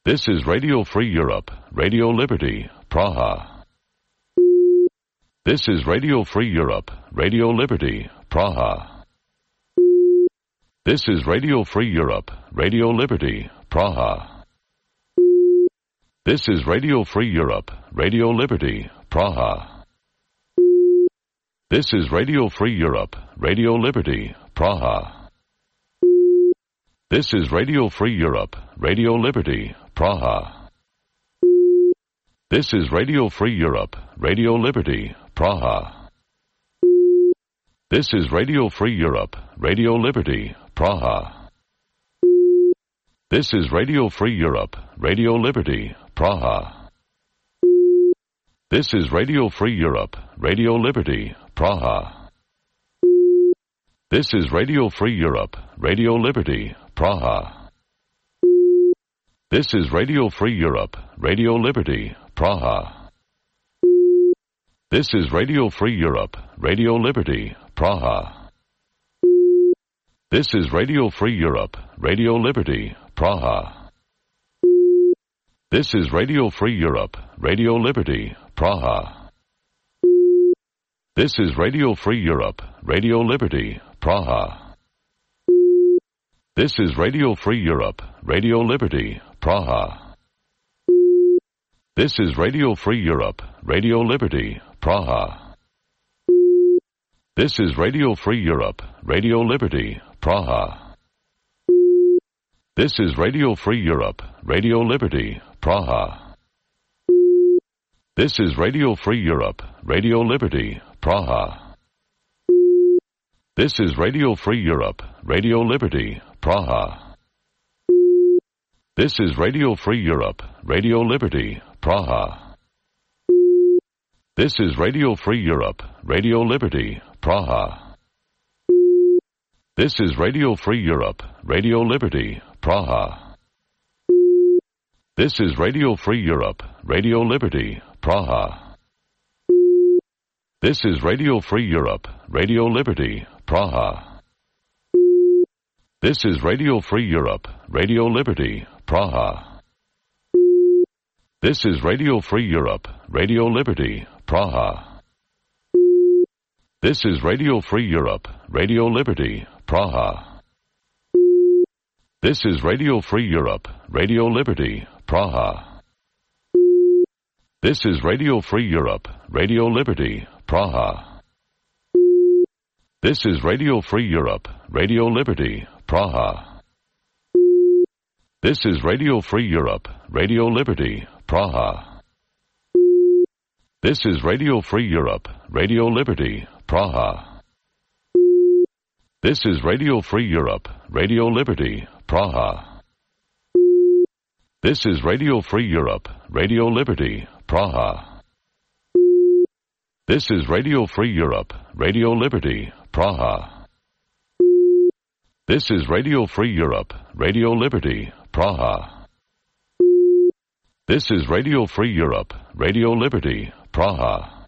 Speaker 15: This is Radio Free Europe, Radio Liberty, Praha. This is Radio Free Europe, Radio Liberty, Praha. This is Radio Free Europe, Radio Liberty, Praha. This is Radio Free Europe, Radio Liberty, Praha. This is Radio Free Europe, Radio Liberty, Praha. This is Radio Free Europe, Radio Liberty, Praha. This is Radio Free Europe, Radio Liberty, Praha. This is Radio Free Europe, Radio Liberty, Praha. This is Radio Free Europe, Radio Liberty, Praha. This is Radio Free Europe, Radio Liberty, Praha. This is Radio Free Europe, Radio Liberty, Praha. This is Radio Free Europe, Radio Liberty, Praha. This is Radio Free Europe, Radio Liberty, Praha. This is Radio Free Europe, Radio Liberty, Praha. This is Radio Free Europe, Radio Liberty, Praha. This is Radio Free Europe, Radio Liberty, Praha. This is Radio Free Europe, Radio Liberty, Praha. This is Radio Free Europe, Radio Liberty, Praha. This is Radio Free Europe, Radio Liberty, Praha. This is Radio Free Europe, Radio Liberty, Praha. This is Radio Free Europe, Radio Liberty, Praha. This is Radio Free Europe, Radio Liberty, Praha. This is Radio Free Europe, Radio Liberty, Praha. This is Radio Free Europe, Radio Liberty, Praha. This is Radio Free Europe, Radio Liberty, Praha. This is Radio Free Europe, Radio Liberty, Praha. This is Radio Free Europe, Radio Liberty, Praha. This is Radio Free Europe, Radio Liberty, Praha. This is Radio Free Europe, Radio Liberty, Praha. This is Radio Free Europe, Radio Liberty, Praha. This is Radio Free Europe, Radio Liberty, Praha. This is Radio Free Europe, Radio Liberty, Praha. This is Radio Free Europe, Radio Liberty, Praha. This is Radio Free Europe, Radio Liberty, Praha. This is Radio Free Europe, Radio Liberty, Praha. This is Radio Free Europe, Radio Liberty, Praha. This is Radio Free Europe, Radio Liberty, Praha. This is Radio Free Europe, Radio Liberty, Praha. This is Radio Free Europe, Radio Liberty, Praha. This is Radio Free Europe, Radio Liberty, Praha.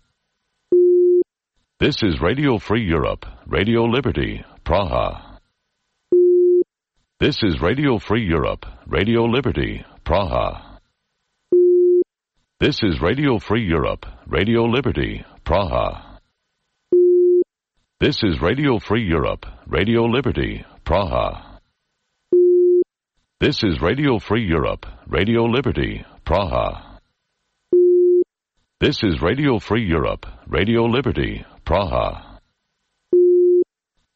Speaker 15: This is Radio Free Europe, Radio Liberty, Praha. This is Radio Free Europe, Radio Liberty, Praha. This is Radio Free Europe, Radio Liberty, Praha. This is Radio Free Europe, Radio Liberty, Praha. This is Radio Free Europe, Radio Liberty, Praha. This is Radio Free Europe, Radio Liberty, Praha.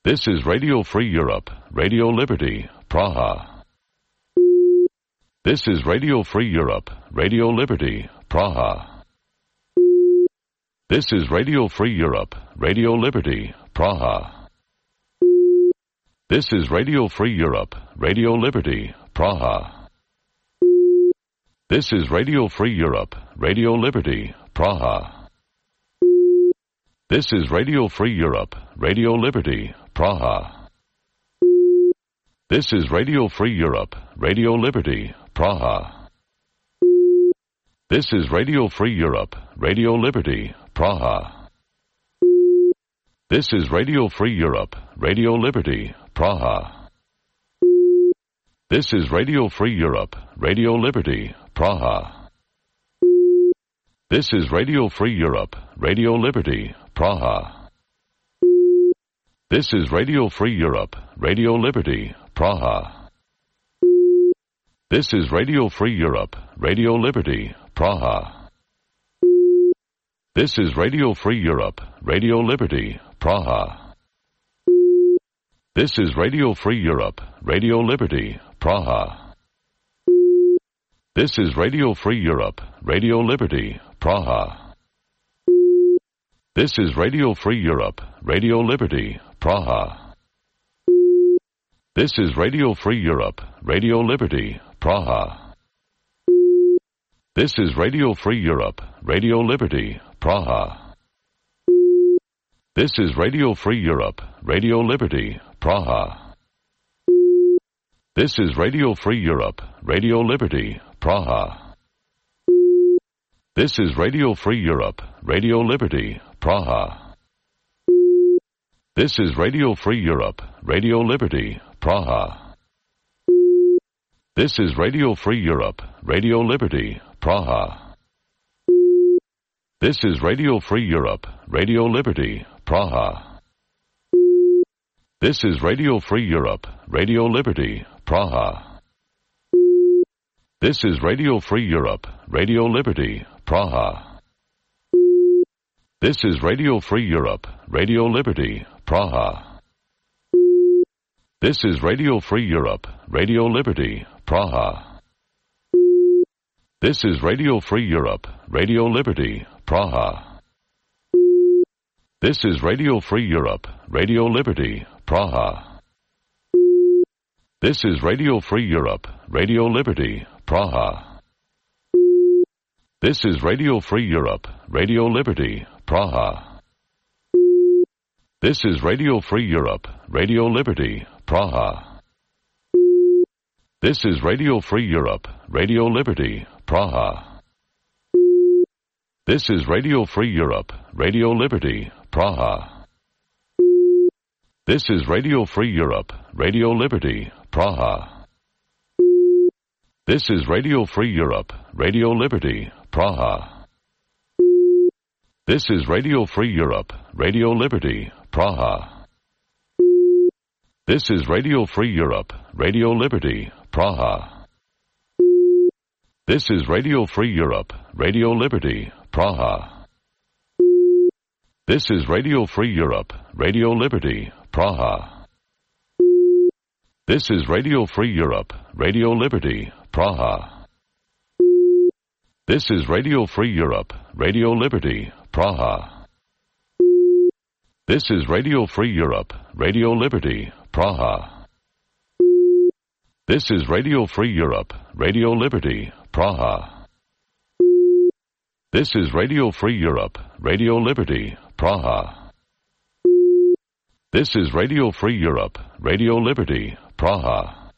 Speaker 15: This is Radio Free Europe, Radio Liberty, Praha. This is Radio Free Europe, Radio Liberty, Praha. This is Radio Free Europe, Radio Liberty, Praha. This is Radio Free Europe, Radio Liberty, Praha. This is Radio Free Europe, Radio Liberty, Praha. This is Radio Free Europe, Radio Liberty, Praha. This is Radio Free Europe, Radio Liberty, Praha. This is Radio Free Europe, Radio Liberty, Praha. This is Radio Free Europe, Radio Liberty, Praha. This is Radio Free Europe, Radio Liberty, Praha. This is Radio Free Europe, Radio Liberty, Praha. This is Radio Free Europe, Radio Liberty, Praha. This is Radio Free Europe, Radio Liberty, Praha. This is Radio Free Europe, Radio Liberty, Praha. This is Radio Free Europe, Radio Liberty, Praha. This is Radio Free Europe, Radio Liberty, Praha. This is Radio Free Europe, Radio Liberty, Praha. This is Radio Free Europe, Radio Liberty, Praha. This is Radio Free Europe, Radio Liberty, Praha. This is Radio Free Europe, Radio Liberty, Praha. This is Radio Free Europe, Radio Liberty, Praha. This is Radio Free Europe, Radio Liberty, Praha. This is Radio Free Europe, Radio Liberty, Praha. This is Radio Free Europe, Radio Liberty, Praha. This is Radio Free Europe, Radio Liberty, Praha. This is Radio Free Europe, Radio Liberty, Praha. This is Radio Free Europe, Radio Liberty, Praha. This is Radio Free Europe, Radio Liberty, Praha. This is Radio Free Europe, Radio Liberty, Praha. This is Radio Free Europe, Radio Liberty, Praha. This is Radio Free Europe, Radio Liberty, Praha. This is Radio Free Europe, Radio Liberty, Praha. This is Radio Free Europe, Radio Liberty, Praha. This is Radio Free Europe, Radio Liberty, Praha. This is Radio Free Europe, Radio Liberty, Praha. This is Radio Free Europe, Radio Liberty, Praha. This is Radio Free Europe, Radio Liberty, Praha. This is Radio Free Europe, Radio Liberty, Praha. This is Radio Free Europe, Radio Liberty, Praha. This is Radio Free Europe, Radio Liberty, Praha. This is Radio Free Europe, Radio Liberty, Praha. This is Radio Free Europe, Radio Liberty, Praha. This is Radio Free Europe, Radio Liberty, Praha. This is Radio Free Europe, Radio Liberty, Praha. This is Radio Free Europe, Radio Liberty, Praha. This is Radio Free Europe, Radio Liberty, Praha. This is Radio Free Europe, Radio Liberty, Praha. This is Radio Free Europe, Radio Liberty, Praha.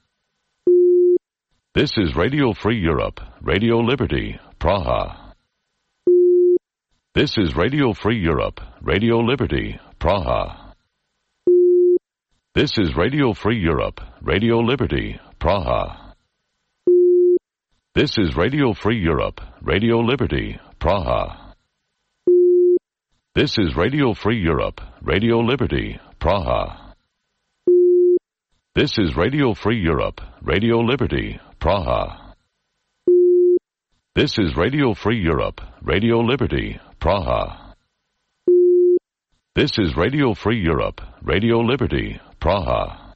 Speaker 15: This is Radio Free Europe, Radio Liberty, Praha. This is Radio Free Europe, Radio Liberty, Praha. This is Radio Free Europe, Radio Liberty, Praha. This is Radio Free Europe, Radio Liberty, Praha. This is Radio Free Europe, Radio Liberty, Praha. This is Radio Free Europe, Radio Liberty, Praha. This is Radio Free Europe, Radio Liberty, Praha. This is Radio Free Europe, Radio Liberty, Praha.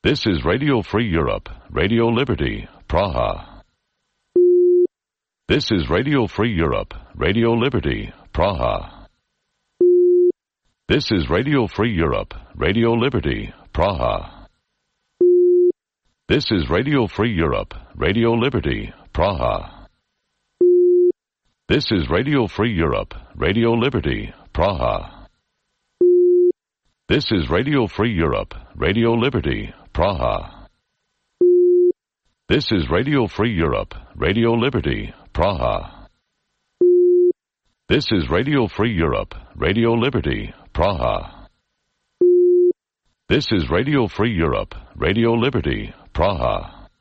Speaker 15: This is Radio Free Europe, Radio Liberty, Praha. This is Radio Free Europe, Radio Liberty, Praha. This is Radio Free Europe, Radio Liberty, Praha. This is Radio Free Europe, Radio Liberty, Praha. This is Radio Free Europe, Radio Liberty, Praha. This is Radio Free Europe, Radio Liberty, Praha. This is Radio Free Europe, Radio Liberty, Praha. This is Radio Free Europe, Radio Liberty, Praha. This is Radio Free Europe, Radio Liberty, Praha.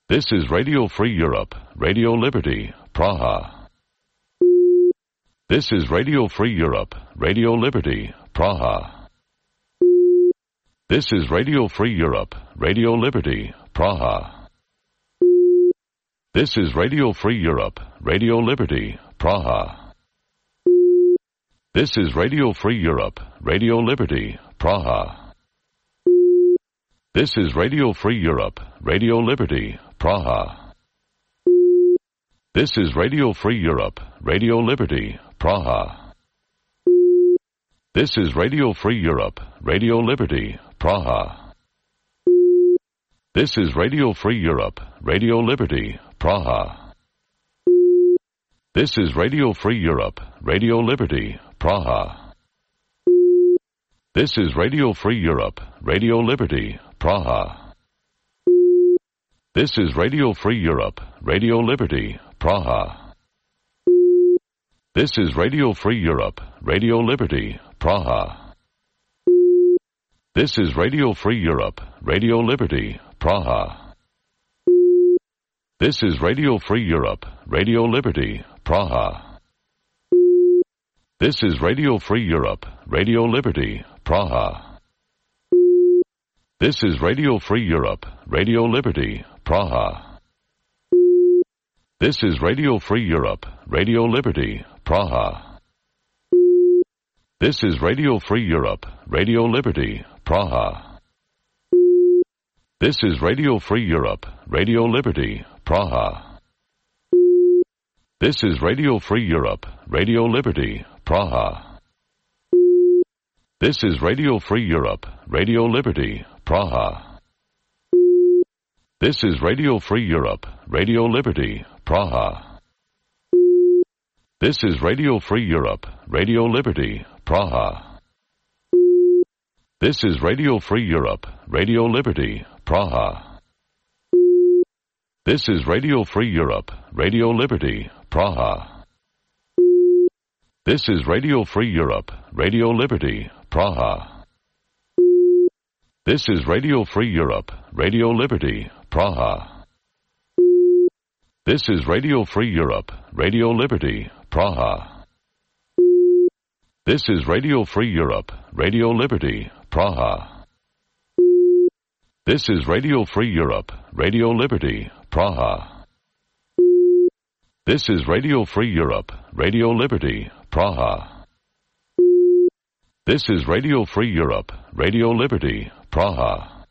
Speaker 15: This is Radio Free Europe, Radio Liberty, Praha. This is Radio Free Europe, Radio Liberty, Praha. This is Radio Free Europe, Radio Liberty, Praha. This is Radio Free Europe, Radio Liberty, Praha. This is Radio Free Europe, Radio Liberty, Praha. This is Radio Free Europe, Radio Liberty, Praha. This is Radio Free Europe, Radio Liberty, Praha. This is Radio Free Europe, Radio Liberty, Praha. This is Radio Free Europe, Radio Liberty, Praha. This is Radio Free Europe, Radio Liberty, Praha. This is Radio Free Europe, Radio Liberty, Praha. This is Radio Free Europe, Radio Liberty, Praha. This is Radio Free Europe, Radio Liberty, Praha. This is Radio Free Europe, Radio Liberty, Praha. This is Radio Free Europe, Radio Liberty, Praha. This is Radio Free Europe, Radio Liberty, Praha. This is Radio Free Europe, Radio Liberty, Praha. This is Radio Free Europe, Radio Liberty, Praha. This is Radio Free Europe, Radio Liberty, Praha. This is Radio Free Europe, Radio Liberty, Praha. This is Radio Free Europe, Radio Liberty, Praha. This is Radio Free Europe, Radio Liberty, Praha. This is Radio Free Europe, Radio Liberty, Praha. This is Radio Free Europe, Radio Liberty, Praha. This is Radio Free Europe, Radio Liberty, Praha. This is Radio Free Europe, Radio Liberty, Praha. This is Radio Free Europe, Radio Liberty, Praha. This is Radio Free Europe, Radio Liberty, Praha. This is Radio Free Europe, Radio Liberty, Praha. This is Radio Free Europe, Radio Liberty, Praha. This is Radio Free Europe, Radio Liberty, Praha. This is Radio Free Europe, Radio Liberty, Praha. This is Radio Free Europe, Radio Liberty, Praha.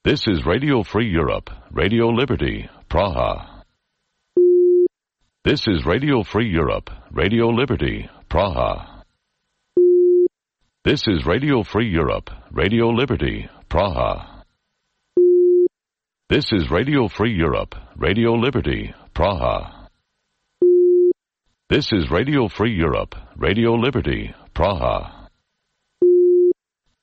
Speaker 15: This is Radio Free Europe, Radio Liberty, Praha. This is Radio Free Europe, Radio Liberty, Praha. This is Radio Free Europe, Radio Liberty, Praha. This is Radio Free Europe, Radio Liberty, Praha. This is Radio Free Europe, Radio Liberty, Praha.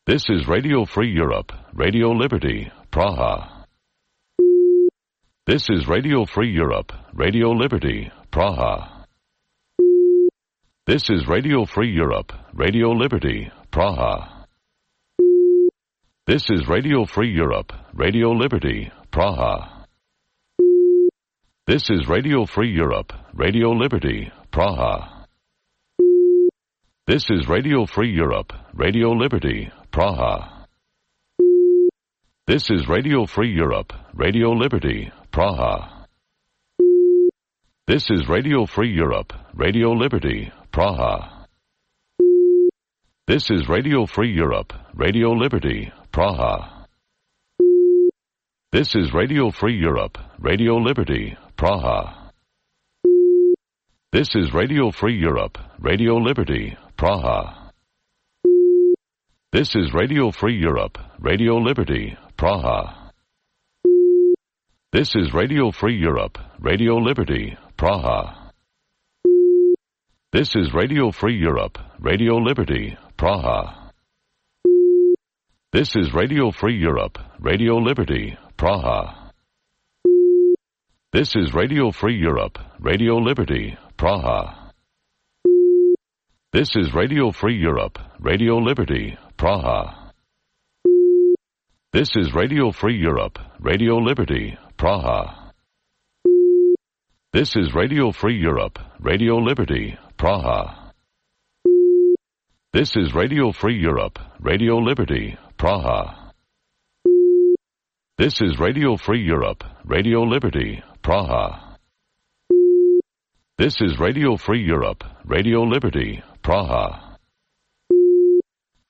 Speaker 15: This is Radio Free Europe, Radio Liberty, Praha. This is Radio Free Europe, Radio Liberty, Praha. This is Radio Free Europe, Radio Liberty, Praha. This is Radio Free Europe, Radio Liberty, Praha. This is Radio Free Europe, Radio Liberty, Praha. This is Radio Free Europe, Radio Liberty, Praha. This is Radio Free Europe, Radio Liberty, Praha. This is Radio Free Europe, Radio Liberty, Praha. This is Radio Free Europe, Radio Liberty, Praha. This is Radio Free Europe, Radio Liberty, Praha. This is Radio Free Europe, Radio Liberty, Praha. This is Radio Free Europe, Radio Liberty, Praha. This is Radio Free Europe, Radio Liberty, Praha. This is Radio Free Europe, Radio Liberty, Praha. This is Radio Free Europe, Radio Liberty, Praha. This is Radio Free Europe, Radio Liberty, Praha. This is Radio Free Europe, Radio Liberty, Praha. This is Radio Free Europe, Radio Liberty, Praha. This is Radio Free Europe, Radio Liberty, Praha. This is Radio Free Europe, Radio Liberty, Praha. This is Radio Free Europe, Radio Liberty, Praha.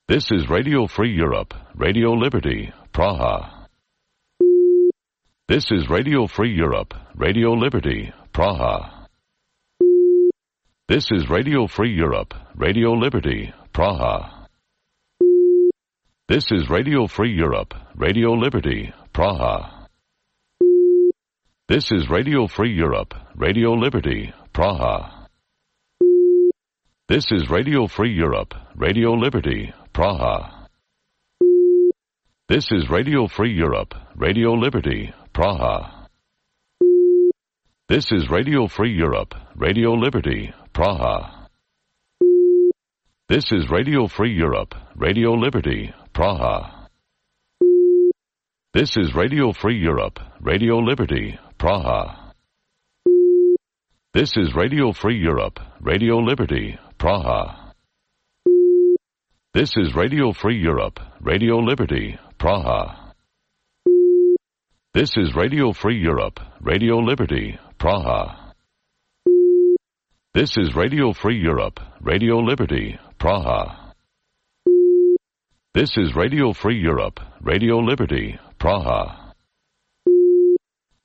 Speaker 15: This is Radio Free Europe, Radio Liberty, Praha. This is Radio Free Europe, Radio Liberty, Praha. This is Radio Free Europe, Radio Liberty, Praha. This is Radio Free Europe, Radio Liberty, Praha. This is Radio Free Europe, Radio Liberty, Praha. This is Radio Free Europe, Radio Liberty, Praha. This is Radio Free Europe, Radio Liberty, Praha. This is Radio Free Europe, Radio Liberty, Praha. This is Radio Free Europe, Radio Liberty, Praha. This is Radio Free Europe, Radio Liberty, Praha. This is Radio Free Europe, Radio Liberty, Praha. This is Radio Free Europe, Radio Liberty, Praha. This is Radio Free Europe, Radio Liberty, Praha. This is Radio Free Europe, Radio Liberty, Praha. This is Radio Free Europe, Radio Liberty, Praha. This is Radio Free Europe, Radio Liberty, Praha.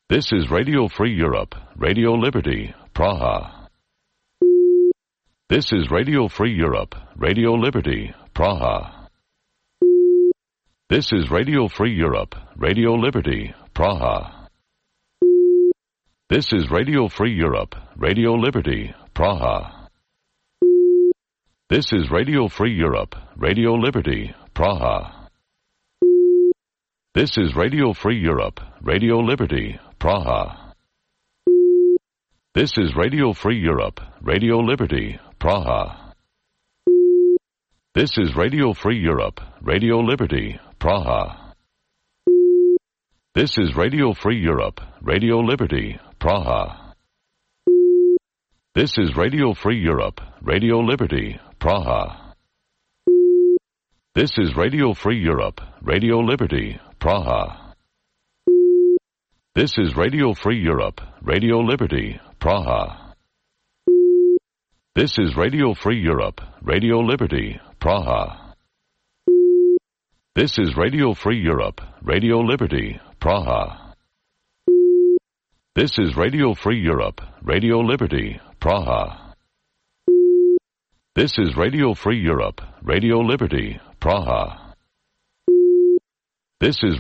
Speaker 15: This is Radio Free Europe, Radio Liberty, Praha. This is Radio Free Europe, Radio Liberty, Praha. This is Radio Free Europe, Radio Liberty, Praha. This is Radio Free Europe, Radio Liberty, Praha. This is Radio Free Europe, Radio Liberty, Praha. This is Radio Free Europe, Radio Liberty, Praha. This is Radio Free Europe, Radio Liberty, Praha. This is Radio Free Europe, Radio Liberty, Praha. This is Radio Free Europe, Radio Liberty, Praha. This is Radio Free Europe, Radio Liberty, Praha. This is Radio Free Europe, Radio Liberty, Praha. This is Radio Free Europe, Radio Liberty, Praha. This is Radio Free Europe, Radio Liberty, Praha. This is Radio Free Europe, Radio Liberty, Praha. This is Radio Free Europe, Radio Liberty, Praha. This is Radio Free Europe, Radio Liberty, Praha. This is